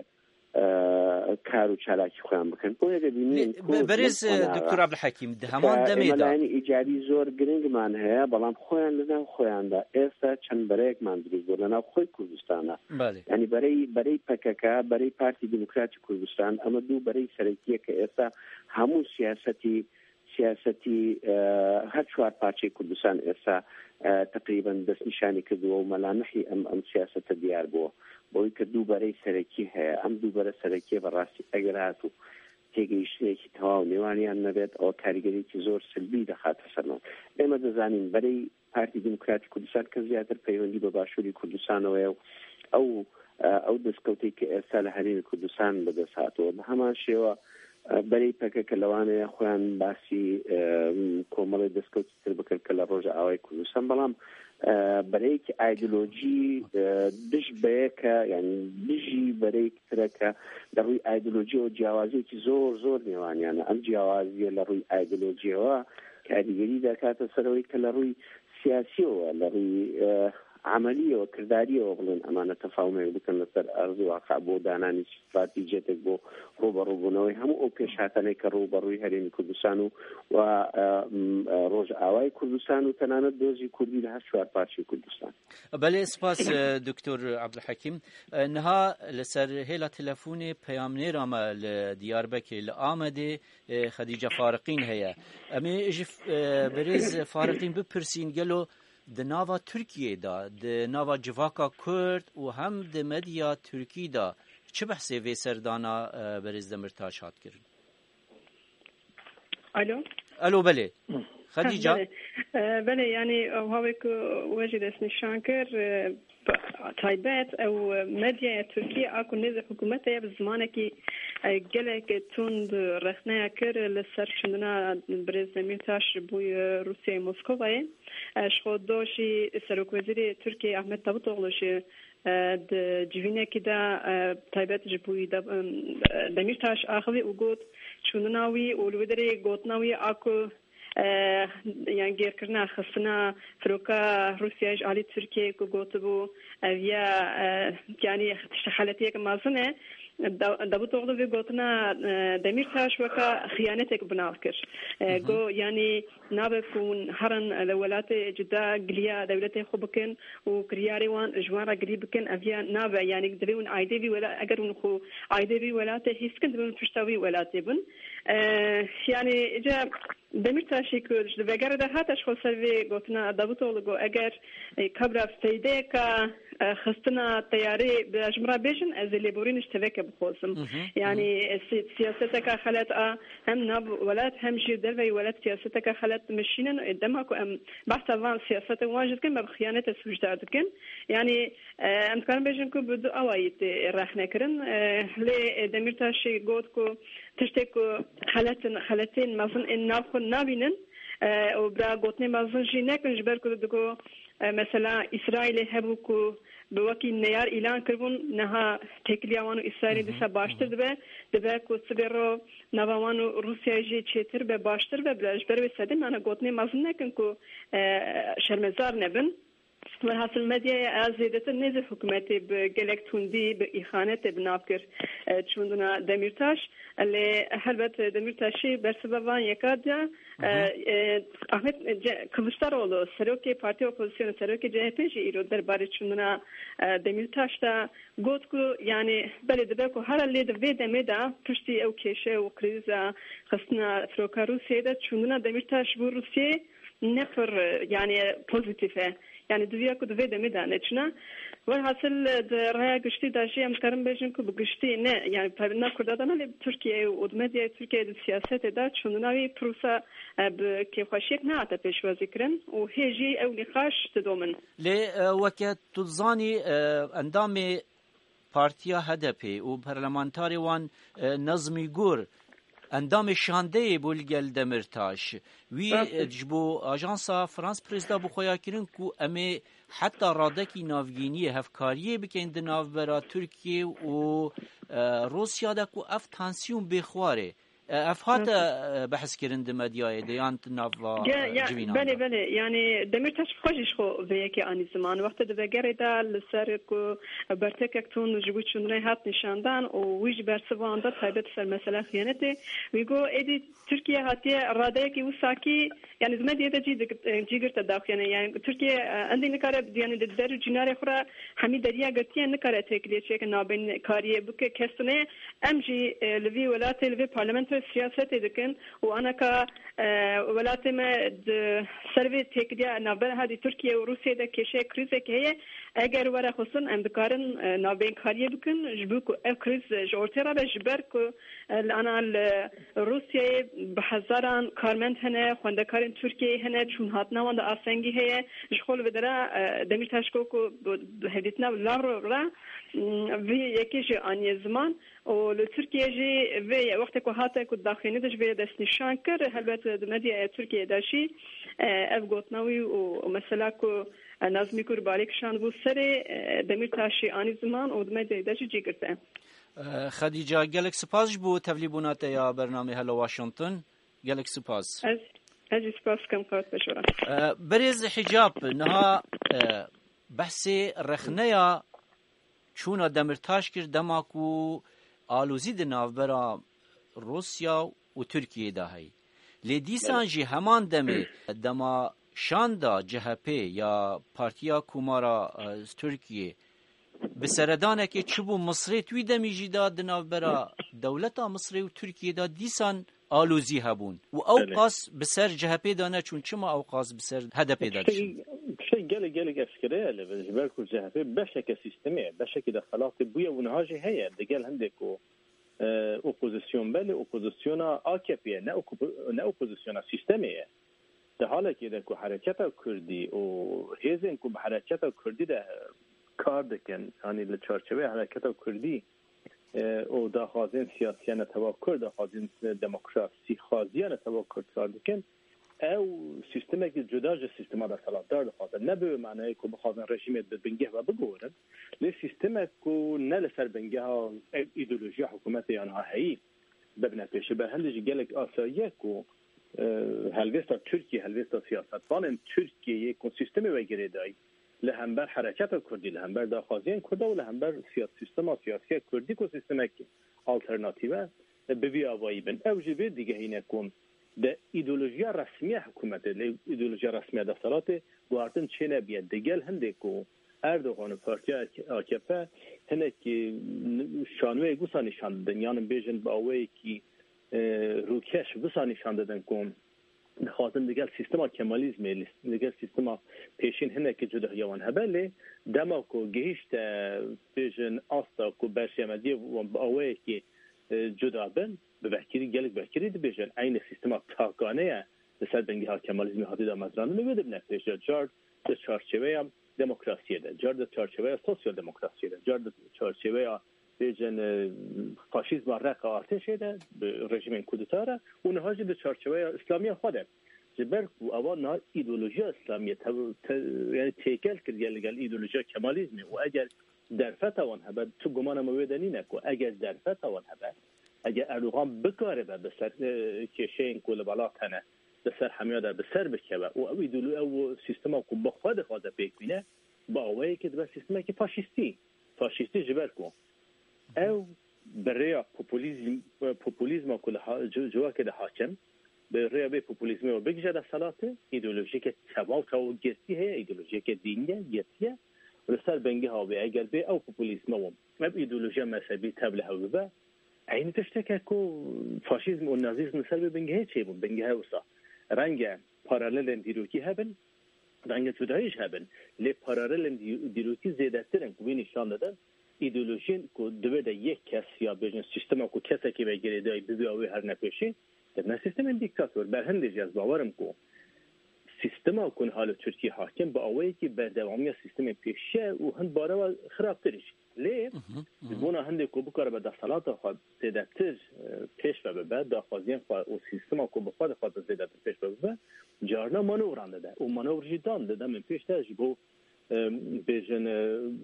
ئە، کار و چالاکی خۆیان بکەن. بۆیە دەبینین لێ، بە-، بەرێز، ئە، دکتۆر عەبدولحەکیم، دە هەمان دەمێدا ئێمە لایەنی ئیجابی زۆر گرنگمان هەیە، بەڵام خۆیان لەناو خۆیاندا ئێستا چەند بەرەیەکمان دروست بوو لەناو خۆی کوردستانە. بەڵێ. یعنی بەرەی، بەرەی پەکەکە، بەرەی پارتی دیموکراتی کوردستان، ئەمە دوو بەرەی سەرەکیە کە ئێستا هەموو سیاسەتی، سیاسەتی، ئە، هەر چوار پارچەی کوردستان ئێستا، ئە، تقریباً دەستنیشانی کردووە و مەلامحی ئەم، ئەم سیاسەتە دیار بووە. بۆی کە دوو بەرەی سەرەکی هەیە. ئەم دوو بەرە سەرەکیە بەڕاستی ئەگەر هاتوو تێگەیشتنێکی تەواو نێوانیان نەبێت، ئەوە کاریگەریەکی زۆر سلبی دەخاتە سەرمان. ئێمە دەزانین بەرەی پارتی دیموکراتی کوردستان کە زیاتر پەیوەندی بە باشووری کوردستانەوەیە و ئەو، ئە، ئەو دەستکەوتەی کە ئێستا لە هەرێمی کوردستان بەدەست هاتووە. بە هەمان شێوە، ئە، بەرەی پەکە کە لەوانەیە خۆیان باسی، ئە، کۆمەڵی دەستکەوتی تر بکەن کە لە ڕۆژ ئاوای کوردستان، بەڵام، ئە، بەرەیەکی ئایدۆلۆژی، ئە، دژ بەیەکە، یعنی دژی بەرەیەکی ترەکە لە ڕووی ئایدۆلۆژیەوە جیاوازیەکی زۆر، زۆر نێوانیانە. ئەم جیاوازیە لە ڕووی ئایدۆلۆژیەوە کاریگەری دەکاتە سەرەوەی کە لە ڕووی سیاسیەوە، لە ڕووی، ئە، عملیەوە، کرداریەوە بڵێن ئەمانە تەفاومێک بکەن لەسەر ئەرز و واقع بۆ دانانی استراتیژیەتێک بۆ ڕوبەڕووبوونەوەی هەموو ئەو پێشهاتانەی کە ڕوبەڕووی هەرێمی کوردستان و، و، ئە، م، ئە، ڕۆژ ئاوای کوردستان و تەنانەت دۆزی کوردی لە هەر چوار پارچەی کوردستان. بەڵێ، سپاس، ئە، دکتۆر عەبدولحەکیم. ئە، نها لەسەر هێلا تەلەفونێ پەیامنێرا me li Diyarbekirê, li Amedê, ئە، خەدیجە فارقین هەیە. ئەمێ ji، ئە، بەرێز فارقین بپرسین، gelo di nava Tirkiyê de, di nava civaka Kurd û hem di medya Tirkî de çi behsê vê serdana, e, berêz Demirtaş hat kirin? Alo. Alo, belê. Xedîca? Belê. E, belê, yanî, ew havê ku we jî destnîşan kir, e, taybet ew medyaya Tirkî a ku nêzî hikûmetê ye, bi zimanekî, e, gelek tund rexneya kir li ser çûndina birêz Demîrtaş ji bo, e, Rûsyayê Moskovayê. E, ji xwe do jî Serokwezîrê Tirkiyê Ahmet Davutoglu jî, e, di civînekî de, e, taybet ji bo wî de, em, e, Demîrtaş axivî û got, çûnina wî û li wê derê gotina wî a ku, e, yan gêrkirina, xistina firoka Rûsyayê ji alî Tirkiyeyê ku gotibû, ev ya, e, yanî tiştê xeletiyeke mezin e. Da-, Davutoglu vê gotina, e, Demîrtaş weka xiyanetek bi nav kir. E, Hı hı. Got, yanî nabe ku hûn herin li welatê cuda giliya dewletê xwe bikin û kiryarê wan ji wan re girî bikin, ev ya nabe. Yanî divê hûn aîdê vî wela-, eger hûn xwe aîdê vî welatê hîs dikin, divê hûn pişta vî welatê bin. E, yanî îca Demîrtaşî ku ji vegere de hate ji xwe ser vê gotina Davutoglu got, eger, e, kabra feydeyeka, e, xistina teyarê bi ji min re bêjin, ez ê lêborîn ji teveke bixwazim. Hı hı, hı hı. Yanî, e, si-, siyaseteka xelet a hem nav welat hem jî derveyî welat siyaseteka xelet dimeşînin. E, dema ku em behsa van siyasetên wan jî dikin, me bi xiyanete sûcdar dikin. Yanî, e, em dikarin bêjin ku bi du awayî tê rexne kirin. E, lê, e, Demîrtaşî got ku tiştê ku xelet in, xeletên mezin ên nav xwe nabînin, e, û bira gotinê mezin jî nekin, ji ber ku digo, e, mesela Îsraîlê hebû ku bi wekî neyar îlan kiribûn, niha têkiliya wan û Îsraîlê Hı hı, dîsa hı baştir hı. dibe, dibe ku sibê ro nava wan û Rûsyayê jî çêtir be, baştir be, bila ji ber wê sedê me gotinê mezin nekin ku, e, şermezar nebin. Welhasil medyaya zêdetir nêzî hikûmetê bi gelek tundî, bi îxanetê bi nav kir, e, çûndina Demîrtaş. Lê helbet Demîrtaşî bersiva van yeka da, e, Hı hı. e, Ahmet Ce-, Kılıçdaroğlu, serokê Partiya Opozisyonê, serokê C H P jî îro derbarê çûndina, e, Demîrtaş de got ku, yanî, belê dibe ku hera lê di vê demê de piştî ew kêşe û krîza xistina firoka Rûsyayê de çûndina Demîrtaş bo Rûsyayê ne pir, e, yanî, pozîtîf e. Yanî, diviya ku di vê demê de neçûna. Welhasil, e, di raya giştî de jî em dikarin bêjin ku bi giştî ne, yanî, pe-, ne Kurda de ne, lê bi Tirkiyeyê û di medyaya Tirkiyeyê, di siyasetê de çûndina wî pir wisa, e, bi kêfxweşiyek nehate pêşwazî kirin û hê jî ew nîqaş didomin. Lê, e, weke tu dizanî, e, endamê Partiya H D P û parlamentarê wan, e, Nazmî Gur, endamê şandeyê bû li gel Demirtaş. Wî, Rast e. e, ji bo ajansa France Press de bi xwe ya kirin ku em ê heta radekî navgîniyê hevkariyê bikin di navbera Tirkiye û, e, Rûsya de ku ev tansiyon bê xwarê. E, ev hate, e, behs kirin di medyayê de yan di nava, Ge- e, ya, civînan belê, de? Belê. Yani Demîrtaş xwe jî ji xwe vê yekê anî ziman. Wextê di vegerê de li ser ku bertekek tun ji bo çûnê hat nîşandan û wî jî bersivan da taybet ser mesela xiyanetê. Wî got, êdî Tirkiye hatiye radeyekî wisa kî, yani di medyayê de cî digir-, cî girte daxuyane. Yani Tirkiye, e, endî nikare, yani di der û cînarê xwe re hemî deriya girtiye, nikare têkiliyê çêke nabên kariyê bike kes tune. Em jî, e, li vî welatê, li vê parlamentoyê siyasetê dikin û anaka, e, welatê me di ser vê têkiliya navbera hadî Tirkiye û Rûsiyê de kêşeya krîzekê heye. Eger were xwestin, em dikarin, e, navbênkariyê bikin, ji bo ku ev krîz ji ortê re be, ji ber ku, e, li ana li Rûsiyeyê bi hezaran karmend hene, xwendekarên Tirkiyeyê hene, çûn hatina wan de astengî heye. Ji xwe li vê dera, e, Demîrtaş ku, ku bi hevdîtina Lavrov re, m, vê yekê jî aniye ziman û li Tirkiye jî vê ye-, wextê ku hate ku daxuyanî de ji vê destnîşan kir, helbet di medyaya Tirkiye de jî, e, ev gotina wî û, û mesela ku, e, Nazmî Gurbanî kişandibû serê, e, Demîrtaşî anî ziman û di medyayê de jî cî girte. E, Xedîca, gelek spas ji bo tevlîbûna te ya bernamê Hello Washington. Gelek spas. Ez, ez jî spas dikim, qewet be ji we re. E, Birêz Hicab, niha, e, behsê rexneya çûna Demîrtaş kir, dema ku alozî di navbera Rûsya û Tirkiyeyê de heye. Lê dîsan Evet. jî heman demê dema şanda C H P ya Partiya Komara, e, Tirkiyê bi seredanekê çi bû Misrê, tu wî demî jî da di navbera dewleta Misrê û Tirkiyê de dîsan alozî hebûn. Û ew Belê. qas bi ser C H P de neçûn. Çima ew qas bi ser H D P de diçûn? Tiştekî, tiştekî gelek, gelek eşkere ye li vir. Ji ber ku C H P beşeke sîstemê ye, beşekî desthilatê bûye û niha jî heye. Digel hindê ku, e, opozisyon be, lê opozisyona A K P ye, ne oku-, ne opozisyona sîstemê ye. Di halekê de ku hereketa Kurdî û hêzên ku bi hereketa Kurdî de kar dikin, yanî li çarçoveya hereketa Kurdî, e, û daxwazên siyasiya netewa Kurd, daxwazên demokrasîxwaziya netewa Kurd kar dikin, ew sîstemekî cuda ji sîstema desthilatdar dixwazin. Ne bi wê manayê ku bixwazin rejîmê bi bingeh ve bigorin, lê sîstemek ku ne li ser bingeha ev îdeolojiya hikûmetê ya niha heyî bibine pêşê. Ber hindê jî gelek asayî ye ku, e, helvêsta Tirkiye, helvêsta siyasetvanên Tirkiyeyê ku sîstemê ve girêdayî li hember hereketa Kurdî, li hember daxwaziyên Kurda û li hember siya-, sîstema siyasiya Kurdî ku sîstemek alternatîf e, bi vî avayî bin. Ew jî vê digehîne ku di îdeolojiya resmiya hikûmetê, lê îdeolojiya resmiya desthilatê guhartin çênebiye. Digel hindê ku Erdogan û Partiya A K P hinekî n-, şanoyek wisa nîşan didin, yan bêjin bi awayekî, e, rûkeş wisa nîşan didin ku dixwazin digel sîstema Kemalîzmê, li-, digel sîstema pêşîn hinekî cudahiya wan hebe, lê dema ku gihîşte, bêjin, asta ku berjemediyê wan bi awayekî, e, cuda bin, bi vekirî, gelek vekirî dibêjin, eynî sîstema takane ye, li ser bingeha Kemalîzmê hatî damezrandin û wê dibine pêşiya car di çarçeveya demokrasiyê de, car di çarçeveya sosyal demokrasiyê de, car di çarçeveya bêjin, e, faşîzma reqa artêşê de, bi rejîmên kudeta re û niha jî di çarçeveya îslamiya xwe de. Ji ber ku ewa niha îdeolojiya îslamiyê tev-, te-, yani têkel kiriye li gel îdeolojiya Kemalîzmê û eger derfeta wan hebe, tu gumana me wê de nîne ku eger derfeta wan hebe, eger Erdogan bikaribe bi ser, e, kêşeyên ku li welat hene, bi ser hemiya de bi ser bikeve û ew îdeolo-, ew sîstema ku bi xwe dixwaze pêk bîne, bi awayekê dibe sîstemekî faşîstî. Faşîstî ji ber ku ew bi rêya populîzm, populîzma ku li ha-, ci-, civakê de hakim, bi rêya vê populîzmê û bigije desthilatê, îdeolojiyeke tevaw tevaw girtî heye, îdeolojiyeke dînî ye, girtî ye. Û li ser bingeha wê eger bê ew populîzma û ev îdeolojiya mezhebî tev li hev bibe, eynî tiştek e ku faşîzm û nazîzm li ser vê bingehê çêbûn. Bingehe wisa renge paralelên dîrokî hebin, renge cudahî jî hebin. Lê paralelên dî-, dîrokî zêdetir in ku wî nîşan didin, îdeolojiyên ku di wê de yek kes ya bêjin sîstema ku kesekî ve girêdayî bibîya wê herne pêşî, dibine sîstemên dîktator. Ber hindê jî ez bawer im ku sîstema ku niha li Tirkiyê hakim bi awayekî berdewamiya sîstemên pêşî ye û hin barewa xirabtir jî. Lê ji bona hindê ku bikaribe desthilata xwe zêdetir, e, pêş ve bibe, daxwaziyên xwe û sîstema ku bi xwe dixwaze zêdetir pêş ve bibe, carna manewran dide û manewr jî dan di demên pêş de ji bo, e, bêjin, e,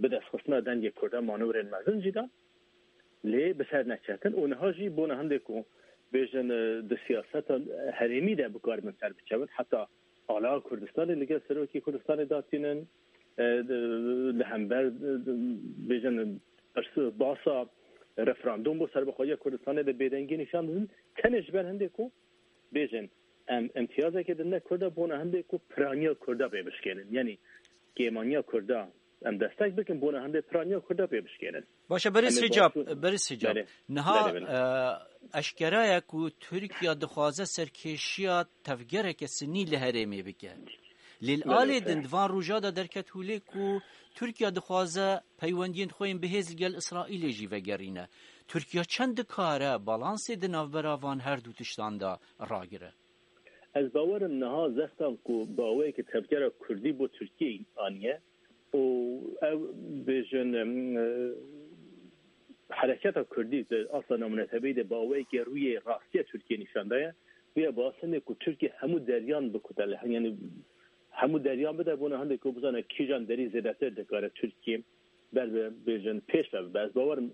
bidestxistina dengê Kurdan manewrên mezin jî dan. Lê bi ser neketin û niha jî bona hindê ku bêjin, e, di siyaseta herêmî de bikaribin ser biçewin. Heta ala Kurdistanê li gel Serokê Kurdistanê datînin, e, di, li hember, e, di, bêjin, pirs-, basa referandûm bo serbixweziya Kurdistanê de bêdengî nîşan didin. Tenê ji ber hindê ku bêjin, em imtiyazekê didine Kurda bona hindê ku piraniya Kurda pê bişkênin. Yanî kêmaniya Kurda em destek bikin, bona hindê piraniya Kurda pê bişkênin. Baş e, berêz Em ê Hicab, başû- berêz Hicab. Belê. Niha, Belê, belê. E, eşkera ye ku Tirkiye dixwaze serkêşiya tevgereke sinî li herêmê bike. Lê li Belê, alê belê. din di van roja de derket hûlê ku Tirkiye dixwaze peywendiyên xwe yên bihêz li gel Îsraîlê jî vegerîne. Tirkiye çend dikare balansê di navbera van her du tiştan de ragire? Ez bawer im niha zextan ku bi awayekî tevgera Kurdî bo Tirkiyeyê aniye û ew bêjin, em, e, hereketa Kurdî di asta navneteweyî de bi awayekî rûyê rastiya Tirkiyê nîşan daye. Wî ye bi asendê ku Tirkiye hemû deryan bikute li, yanî hemû deryan bide bona hindê ku bizane kîjan derî zêdetir dikare Tirkiye ber bi, bêjin, pêş ve bibe. Ez bawer im,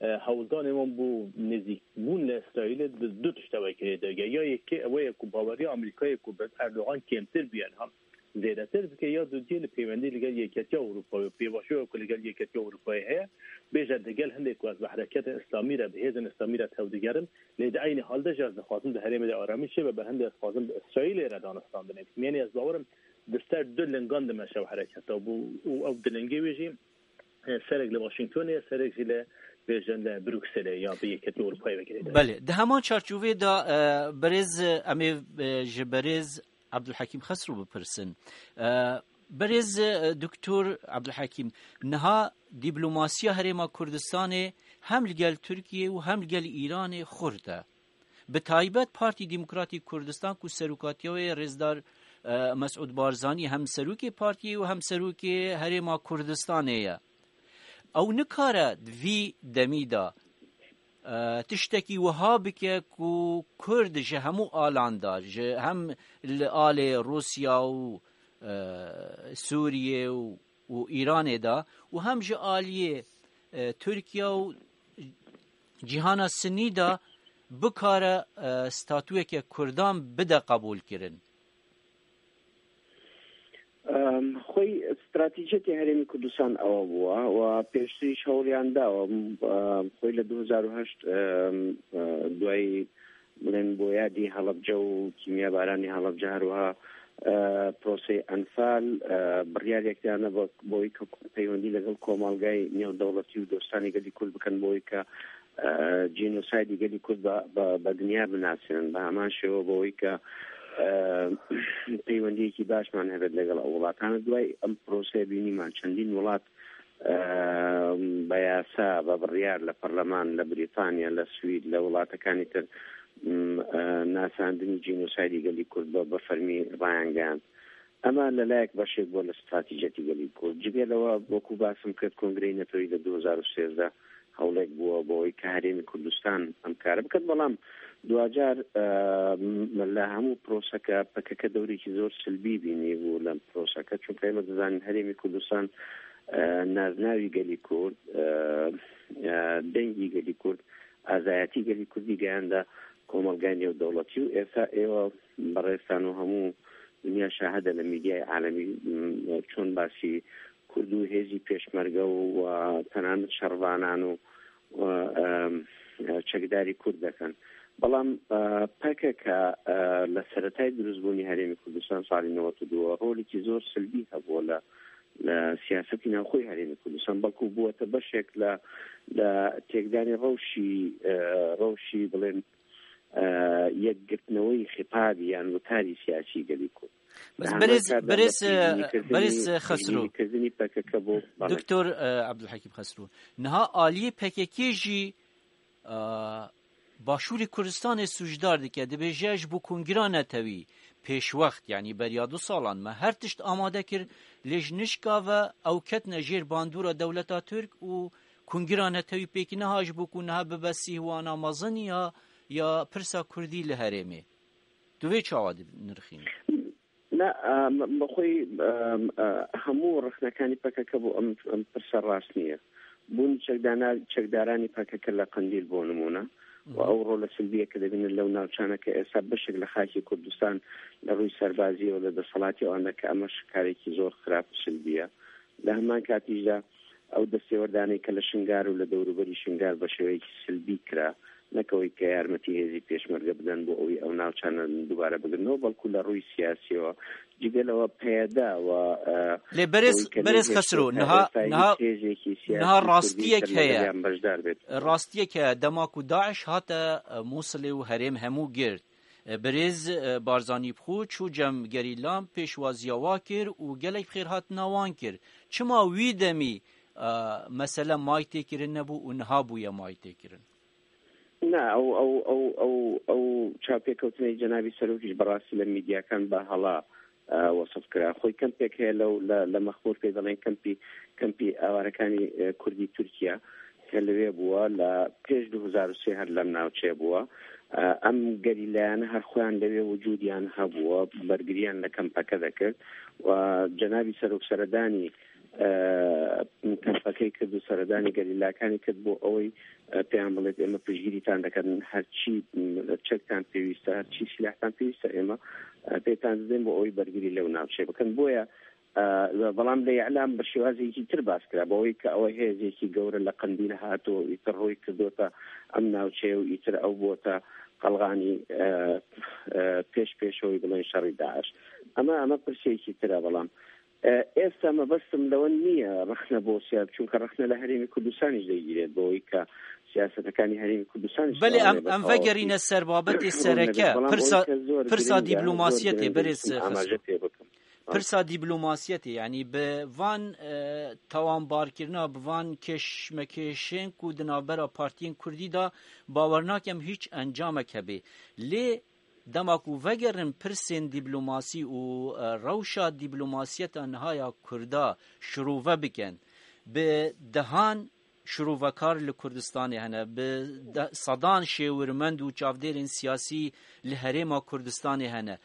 e, hewldanê wan bo nêzîkbûn li Îsraîlê di du tişt de wekirê derge. Ya yekê ew ye ku baweriya Amerîkayê ku bi Erdogan kêmtir bûye niha zêdetir bike, ya dudiyê li peywendî li gel Yeketiya Ewropayê û pêvajoya ku li gel Yeketiya Ewropayê heye, bêje digel hindê ku ez bi hereketên Îslamî re, bi hêzên Îslamî re tevdigerim, lê di eynî hal de jî ez dixwazim di herêmê de aramî çêbe, bi hindê ez dixwazim bi Îsraîlê re danûstandinê bikim. Yanî ez bawer im di ser du lingan dimeşe ew hereketa û, û ew du lingê wê jî e, serek li Washingtonê ye, serek jî li, bêjin, li Brukselê ya bi Yeketiya Ewropayê vekirê de. Belê, di heman çarçovê de, e, berêz, e, em ê, e, ji berêz Abdulhakim Xesro bipirsin. E, berêz, e, Doktor Abdulhakim, niha diplomasiya Herêma Kurdistanê hem li gel Tirkiyê û hem li gel Îranê xurt e. Bi taybet Partî Demokratîk Kurdistan ku serokatiya wê rêzdar, e, Mesûd Barzanî hem serokê partiyê û hem serokê Herêma Kurdistanê ye. Ew nikare di vî demî de, e, tiştekî wiha bike ku Kurd ji hemû alan de, ji hem li alê Rûsya û, e, Sûriyê û û Îranê de û hem ji aliyê, e, Tirkiye û cîhana Sinî de bikare, e, statûyeke Kurdan bide qebûlkirin? Em, xwey stratejiyetê Herêmê Kurdistan ewa bûa û pêştirî ji hewliyan dawa. Em, xwey li du hezar û heşt, em, e, duayî بڵێن بۆ یادی هەڵەبجە و کیمیابارانی هەڵەبجە، هەروەها، ئە، پرۆسەی ئەنفال، ئە، بڕیارێکدانە بۆ، بۆی کە پەیوەندی لەگەڵ کۆمەڵگای نێودەوڵەتی و دۆستانی گەلی کورد بکەن، بۆی کە، ئە، جینۆسایدی گەلی کورد بە، بە، بە دنیا بناسێنن. بە هەمان شێوە بۆی کە، ئە، پەیوەندیەکی باشمان هەبێت لەگەڵ ئەو وڵاتانە. دوای ئەم پرۆسەیە بینیمان چەندین وڵات، ئە، بە یاسا، بە بڕیار لە پەرلەمان، لە بریتانیا، لە سوید، لە وڵاتەکانی تر، م، ئە، ناساندنی جینۆسایدی گەلی کورد بە، بە فەرمی ڕایانگەیاند. ئەمە لە لایەک بەشێک بووە لە استراتیژەتی گەلی کورد. جگە لەوە، وەکو باسم کرد، کۆنگرەی نەتەوەی لە دوو هەزار و سێزدە هەوڵێک بووە بۆ ئەوەی کە هەرێمی کوردستان ئەم کارە بکات، بەڵام دواجار، ئە، م، لە هەموو پرۆسەکە پەکەکە دەورێکی زۆر سلبی بینی بوو لەم پرۆسەکە، چونکە ئێمە دەزانین هەرێمی کوردستان، ئە، نازناوی گەلی کورد، ئە، ئە، دەنگی گەلی کورد، ئازایەتی گەلی کوردی گەیاندە کۆمەڵگای نێودەوڵەتی و ئێستا ئێوە بەڕێستان و هەموو دنیا شاهدە لە میدیای عالەمی، م، چۆن باسی کورد و هێزی پێشمەرگە و، و تەنانەت شەڕڤانان و، و، ئەم، چەکداری کورد دەکەن. بەڵام، ئە، پەکەکە، ئە، لە سەرەتای دروستبوونی هەرێمی کوردستان ساڵی نەوەد و دوو ڕۆلێکی زۆر سلبی هەبووە لە، لە سیاسەتی ناوخۆی هەرێمی کوردستان، بەڵکو بووەتە بەشێک لە، لە تێکدانی ڕەوشی، ئە، ڕەوشی، بڵێن، ئە، یەکگرتنەوەی خیتابی یان وتاری سیاسی گەلی کورد. بەس لە بەرێز، هەمان کاتدا بەرێز، بە پێشبینیکردنی، بەرێز خەسرو. پێشبینیکردنی پەکەکە بۆ، بەڵێ. دکتۆر، ئە، عەبدولحەکیم خەسرو. نها ئالیە پەکەکێ ژی، ئە، باشووری کوردستانê sûcdar dike, dibêje ji bo kongira netewî pêşwext, yanî beriya du salan me her tişt amade kir, lê ji nişka ve ew ketine jêr bandora dewleta Tirk û kongira netewî pêk neha ji bo ku niha bibe sîhwana mezin ya, ya pirsa kurdî li herêmê. Tu vê çawa dinirxînî? Na, em, bi xwe, em, e, hemû rexnekani P K K bo em, em pirsa rast niye. بوونی چەکدانا-، چەکدارانی پەکەکە لە قەندیل بۆ نمونە، و ئەو ڕۆلە سلبیە کە دەبینن لەو ناوچانە کە ئێستا بەشێک لە خاکی کوردستان لە ڕووی سەربازیەوە لە دەسەڵاتی ئەواندا، کە ئەمەش کارێکی زۆر خراپ و سلبیە. لە هەمان کاتیشدا ئەو دەستێوەردانەی کە لە شنگار و لە دەوروبەری شنگار بە شێوەیەکی سلبی کرا، نەکەوەی کە یارمەتی هێزی پێشمەرگە بدەن بۆ ئەوەی ئەو ناوچانە دووبارە بگرنەوە، بەڵکو لە ڕووی سیاسیەوە جگەلەوە پەیەدا و، ئە، لێ بەرێز، ئەوەی کە بەرێز لێ خەسرۆ، هێشتا نها، ئێستا هیچ نها، هێزێکی سیاسی نها کوردی ڕاستیەک سەر هەیە. لەگەڵیان بەشدار بێت. ڕاستیەک هەیە، دەما کو داعش هاتە، ئە، موسڵێ و هەرێم هەموو گرت. ئە، بەرێز، ئە، بارزانی بخۆ چوو جەم گەریلان پێشوازیاوا کرد و gelek xêrhatina wan kir. Çima wî demî, e, mesele may têkirin nebû û niha bûye may têkirin? Na, ew, ew, ew, ew, ew çaپێکەوتنەی جەنابی سەرۆکیش بەڕاستی لە میدیاکان بە هەڵا، ئە، وەسف کرا. خۆی کەمپێک هەیە لەو، لە، لە مەخموور پێی دەڵێن کەمپی، کەمپی ئاوارەکانی، ئە، کوردی تورکیا کە لەوێ بووە، لە پێش دوو هەزار و سێ هەر لەم ناوچەیە بووە. ئە، ئەم گەریلایانە هەر خۆیان لەوێ وجودیان هەبووە، بەرگریان لە کەمپەکە دەکرد و جەنابی سەرۆک سەردانی، ئە، کەمپەکەی کرد و سەردانی گەریلاکانی کرد بۆ ئەوەی، ئە، پێیان بڵێت، ئێمە پشتگیریتان دەکەن، هەرچی، م، چەکتان پێویستە، هەرچی سلاحتان پێویستە، ئێمە، ئە، پێتان دەدەین بۆ ئەوەی بەرگری لەو ناوچەیە بکەن. بۆیە، ئە، بەڵام لە ئیعلام بە شێوازێکی تر باس کرا، بەوەی کە ئەوە هێزێکی گەورە لە قەندیل هاتووە، ئیتر ڕووی کردوتە ئەم ناوچەیە و ئیتر ئەو بۆتە قەڵغانی، ئە، ئە، پێش پێشەوەی بڵێن شەڕی داعش. ئەمە، ئەمە پرسێکی ترە، بەڵام، ئە، ئێستا مەبەستم لەوە نییە ڕەخنە بۆ سیاست، چونکە ڕەخنە لە هەرێمی کوردستانیش دەگیرێت، بۆی کە سیاستەکانی هەرێمی کوردستانیش بەڵێ، ئەم، ئەم ڤەگەرینە سەر بابەتی سەرەکە، پرسا، پرسا دیبلوماسیەتێ، بەرێز خەسرۆ. ئاماژە پێ بکەم. پرسا دیبلوماسیەتێ، یعنی، bi van, e, tawanbarkirina, bi van kêşmekêşên ku di navbera partiyên kurdî de bawer nakim hîç encamek hebe. Lê dema ku vegerin pirsên dîplomasî û, e, rewşa dîplomasiyeta niha ya Kurda şirove bikin, bi dehan şirovekar li Kurdistanê hene, bi de-, sedan şêwirmend û çavdêrên siyasî li herêma Kurdistanê hene.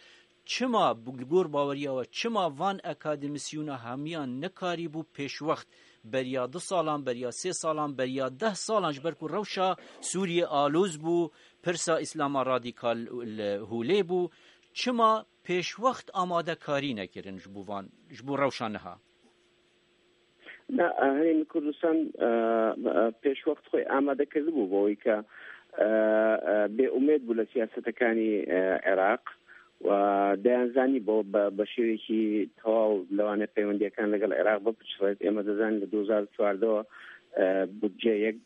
Çima, bi, li gor baweriya we, çima van akademîsyûna hemiyan nikarîbû pêşwext, beriya du salan, beriya sê salan, beriya deh salan, ji ber ku rewşa Sûriyê aloz bû, pirsa Îslama radîkal li holê bû, çima pêşwext amadekarî nekirin ji bo van, ji bo rewşa niha? Na, e, Herêmê Kurdistan, e, e, pêşwext xwe amade kirdibû bo wî ke, e, e, bêumêd bû li siyasetekanî, e, Iraq. و دەیانزانی بۆ بە، بە شێوەیەکی تەواو لەوانەیە پەیوەندیەکان لەگەڵ عێراق بپچڕێت. ئێمە دەزانین لە دوو هەزار و چواردەوە، ئە، بودجە یەک،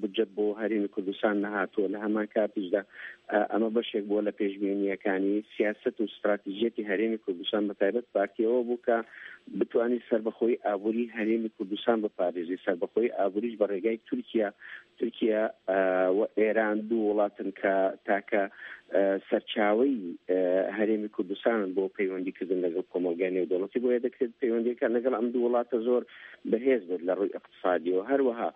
بودجە بۆ هەرێمی کوردستان نەهاتووە. لە هەمان کاتیشدا، ئە، ئەمە بەشێک بووە لە پێشبینیەکانی سیاست و استراتیژیەتی هەرێمی کوردستان، بە تایبەت پارتیەوە بوو کە بتوانین سەربەخۆی ئابووری هەرێمی کوردستان بپارێزی. سەربەخۆی ئابووریش بە ڕێگای تورکیا، تورکیا، ئە، و ئێران دوو وڵاتن کە تاکە، ئە، سەرچاوەی، ئە، هەرێمی کوردستانن بۆ پەیوەندیکردن لەگەڵ کۆمەڵگای نێودەوڵەتی. بۆیە دەکرێت پەیوەندیەکان لەگەڵ ئەم دوو وڵاتە زۆر بەهێز بێت لە ڕووی اقتصادیەوە. هەروەها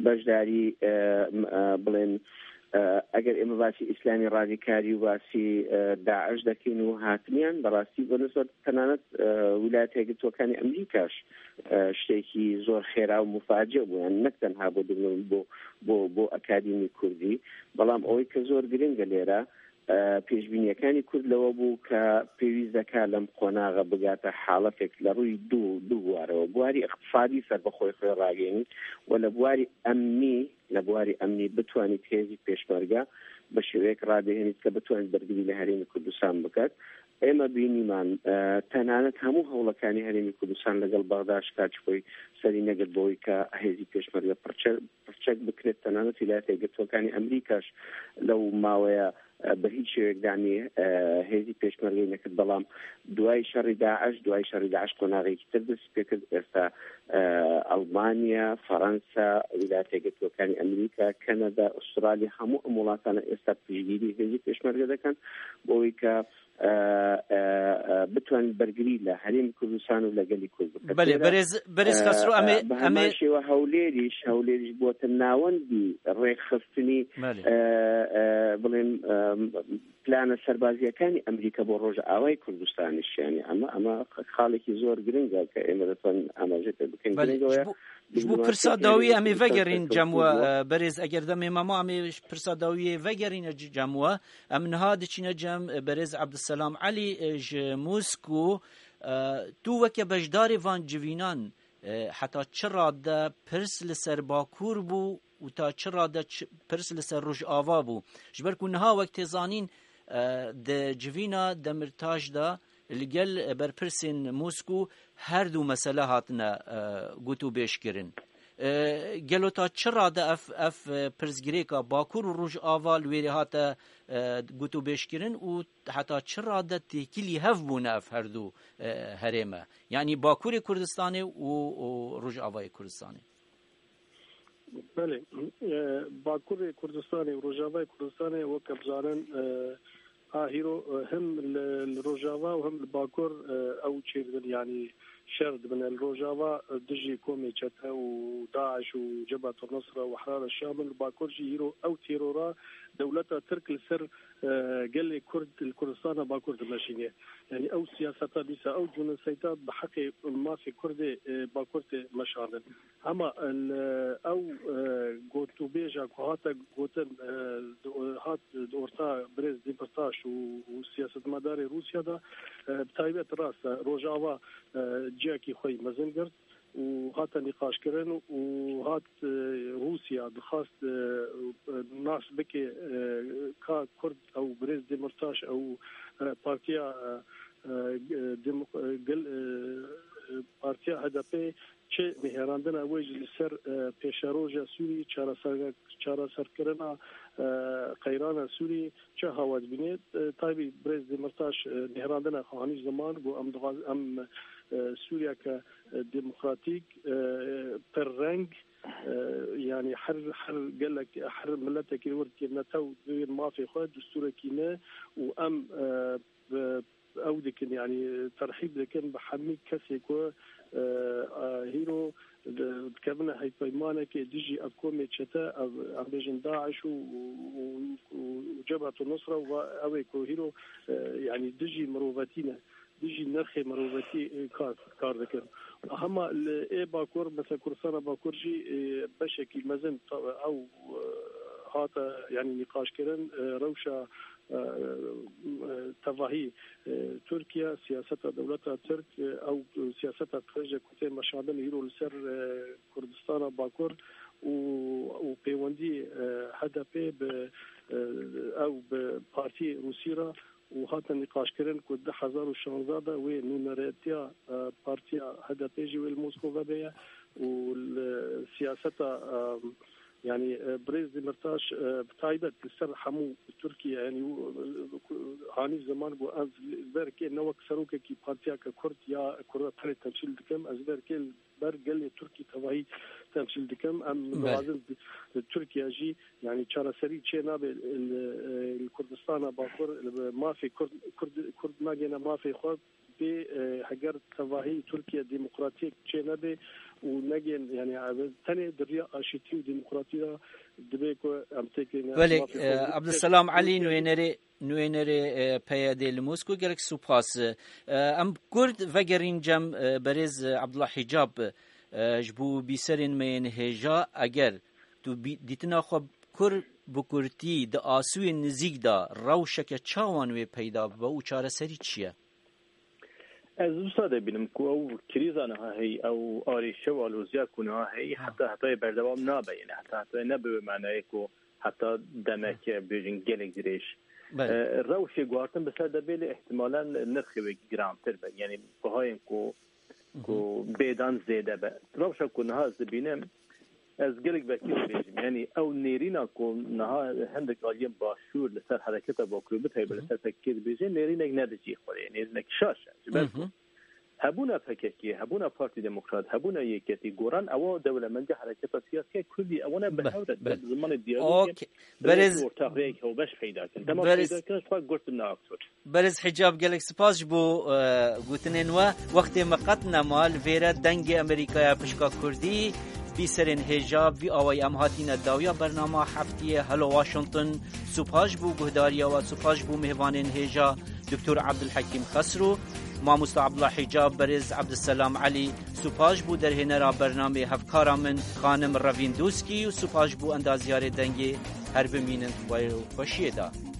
بەشداری، ئە، م-، ئە، بڵێن، ئە، ئەگەر ئێمە باسی ئیسلامی ڕادیکاری و باسی، ئە، داعش دەکەین و هاتنیان، بەڕاستی بۆ نسبەت تەنانەت، ئە، ویلایەتە یەکگرتووەکانی ئەمریکاش، ئە، شتێکی زۆر خێرا و مفاجئ بوو، یان نەک تەنها بۆ دبلۆم-، بۆ، بۆ، بۆ ئەکادیمی کوردی، بەڵام ئەوەی کە زۆر گرنگە لێرە، ئە، پێشبینیەکانی کورد لەوە بوو کە پێویست دەکا لەم قۆناغە بگاتە حاڵەتێک لە ڕووی دوو، دوو بوارەوە، بواری اقتصادی سەربەخۆی خۆی ڕاگەیەنی و لە بواری ئەمنی، لە بواری ئەمنی بتوانیت هێزی پێشمەرگە بە شێوەیەک ڕادەهێنیت کە بتوانیت بەرگری لە هەرێمی کوردستان بکات. ئێمە بینیمان، ئە، تەنانەت هەموو هەوڵەکانی هەرێمی کوردستان لەگەڵ بەغدا شکاچ خۆی سەری نەگرت بۆی کە هێزی پێشمەرگە پڕچە-، پڕچەک بکرێت. تەنانەت ویلایەتە یەکگرتووەکانی ئەمریکاش لەو ماوەیە، ئە، بە هیچ شێوەیەک دانی، ئە، هێزی پێشمەرگەی نەکرد. بەڵام دوای شەڕی داعش، دوای شەڕی داعش قۆناغێکی تر دەست پێکرد. ئێستا، ئە، ئەڵمانیا، فەڕەنسا، ویلایەتە یەکگرتووەکانی ئەمریکا، کەنەدا، ئوسترالیا، هەموو ئەم وڵاتانە ئێستا پشتگیری هێزی پێشمەرگە دەکەن بۆ ئەوەی کە، ئە، ئە، ئە، بتوانین بەرگری لە هەرێمی کوردستان و لە گەلی کورد بکەن. بەڵێ، بەرێز، بەرێز ئە، خەسرۆ، ئەمێ، ئە، بە هەمان ئەمێ شێوە هەولێریش، هەولێریش بووەتە ناوەندی ڕێکخستنی، بەڵێ. ئە، ئە، بڵێن، ئەم، پلانە سەربازیەکانی ئەمریکا بۆ ڕۆژئاوای کوردستانیش، یعنی، ئەمە، ئەمە خاڵێکی زۆر گرنگە کە ئێمە دەتوانین ئاماژە پێ بکەین. بەڵێ، گرنگەوەیە. Ji bo, ji bo pirsa dawî em ê vegerîn cem we, e, berêz, eger demê me ma, em ê pirsa dawiyê vegerîne c-, cem we. Em niha diçîne cem, e, berêz Ebdulselam Elî, e, ji Moskû. E, tu weke beşdarê van civînan, e, heta çi rade pirs li ser Bakur bû û ta çi rade çi, pirs li ser Rojava bû? Ji ber ku niha wek tê zanîn, e, di civîna Demirtaş de li gel berpirsên Moskû her du mesele hatine, e, gotûbêjkirin. E, gelo ta çi rade ev, ev, e, pirsgirêka Bakur û Rojava li wêrê hate, e, gotûbêjkirin û heta çi rade têkilî hev bûne ev her du, e, herême? Yanî Bakurê Kurdistanê û, û Rojavayê Kurdistanê. Belê, e, Bakurê Kurdistanê û Rojavayê Kurdistanê weke bizanin, e, a hîro, e, him li, li Rojava û him li Bakur, e, ew çêdibin, yanî şer dibin. Li Rojava, e, dijî komê çete û DAIŞ û Cebhetul Nusra û Ehrar el-Şam in. Li Bakur jî hîro ew terora dewleta Tirk li ser, e, gelê Kurd, li Kurdistana Bakur dimeşîne. Yanî ew siyaseta dîsa, ew cûneseyta bi heqê mafê Kurdê, e, Bakur tê meşandin. Hema, e, li, ew, e, gotûbêja ku hate gotin, e, di, hat di orta birêz Demirtaş û, û siyasetmedarê Rûsya de, e, bi taybet rast e, Rojava, e, ciyekî xwe yî mezin girt û hate nîqaşkirin û hat, e, Rûsya dixwast, e, nas bike, e, ka Kurd ew birêz Demirtaş ew, e, partiya, e, e, demok-, e, gel-, e, e, partiya H D P çi nihêrandina wê jî li ser, e, pêşeroja Sûrî, çareser-, çareserkirina, e, qeyrana Sûrî çi hawa dibîne? E, taybî birêz Demirtaş, e, nihêrandina xwe hanî ziman, got, em dixwaz-, em, e, Sûriyeke, e, demokratîk, e, pirreng, e, yanî her, her gelek, her miletekî li wir dikê netew dibên mafê xwe, destûrekî ne û em, e, bi ew dikin, yanî terhîb dikin bi hemî kesê ku, e, e, hîro di-, dikevine hevpeymanekê dijî ev komê çete, ev, em bêjin DAIŞ û, û, û, û Cebhetu Nusra û va-, ew ê ku hîro, e, yanî dijî mirovetî ne, dijî nirxê mirovetî, e, kar, kar dikin. Hema li ê Bakur, mesela Kurdistana Bakur jî, e, beşekî mezin ta-, ew, e, hate, yanî nîqaşkirin, e, rewşa e, e, tevahî, e, Tirkiye, siyaseta dewleta Tirk, e, ew siyaseta qirêje ku tê meşandin îro li ser, e, Kurdistana Bakur û, û pêwendî, e, H D P bi, e, ew bi partiyê Rûsî re û hate nîqaşkirin ku du hezar û şanzdeh de wê nûneretiya, e, partiya H D P jî wê li Moskova vebe ye û li siyaseta, e, Yanî, e, birêz Demirtaş, e, bi taybet li ser hemû Tirkiye, yanî, û, e, ku, hanî ziman ku ez li ber kê ne wek serokekî partiyeke Kurd ya Kurda tenê temsîl dikim, ez li ber kê li ber gelê Tirkî tevahî temsîl dikim. Em Belê. Dixwazin di-, di Tirkiye jî, yanî, çareserî çê nabe li, e, li Kurdistana Bakur, li mafê Kurd, Kurd, Kurd nagêne mafê xwe. Pê, e, heger tevahî Tirkiye demokratiyek çê nebe û negên, yanî, ev tenê di riya aşîtî û demokratî de dibe ku em têkilîne Belê, mafê e, xwe. Abdulselam Elî, nûênerê, nûênerê, e, P Y D li Moskû, gelek spas. E, em Kurd vegerîn cem, e, berêz, e, Abdullah Hicab, e, ji bo bîserên me yên hêja, eger tu bî-, dîtina xwe kur bi kurtî di asûyên nizîk de rewşeke çawan wê peyda bibe û çareserî çi ye? Ez wisa dibînim ku ew krîza niha heyî, ew arîşe û aloziya ku niha heyî, Ha. heta hetayê berdewam nabe, yani heta hetayê ne bi wê manayê ku heta demek, bêjin gelek dirêj. Belê. E, rewşê guhartin bi ser de bê, lê ihtimalen nirxê wê girantir be. Yani bihayên ku, Hı hı. ku bêdan zêde be. Rewşa ku niha ez dibînim, Ez gelek vekî dibêjim. Yanî ew nêrîna ku niha hindek aliyên başûr li ser hereketa Bakurê, bi taybet li Hı hı. ser P K K dibêje, nêrînek ne di cihê xwe de ye, nêrînek şaş e. Ji ber Hı hı. ku hebûna P K K, hebûna Partî Demokrat, hebûna Yeketî, goran ewa dewlemendî hereketa siyasî ya Kurdî, ewana bi Be-, hev re be. Bi zimanê diyalogê Okey. Berêz ortaxiyek hewbeş peyda kin. Dema Berêz peyda kin, xwe gurtin ne aktor. Berêz Hicab, gelek spas ji bo, e, gotinên we. Wextê me qet nema, li vêre Dengê Amerîkaya pişka Kurdî, Bîserên hêja, vî awayî em hatîne dawiya bernama heftiyê. Hello Washington, supaş bû guhdariya we, supaş bû mêvanên hêja, Doktor Abdulhekîm Xesro, Mamosta Abdullah Hicab, Berêz Abdulselam Elî, supaş bû derhênera bernamê hevkara min, Xanim Revîn Doskî û supaş bû endaziyarê dengê. Her bimînin xwe û xweşiyê de.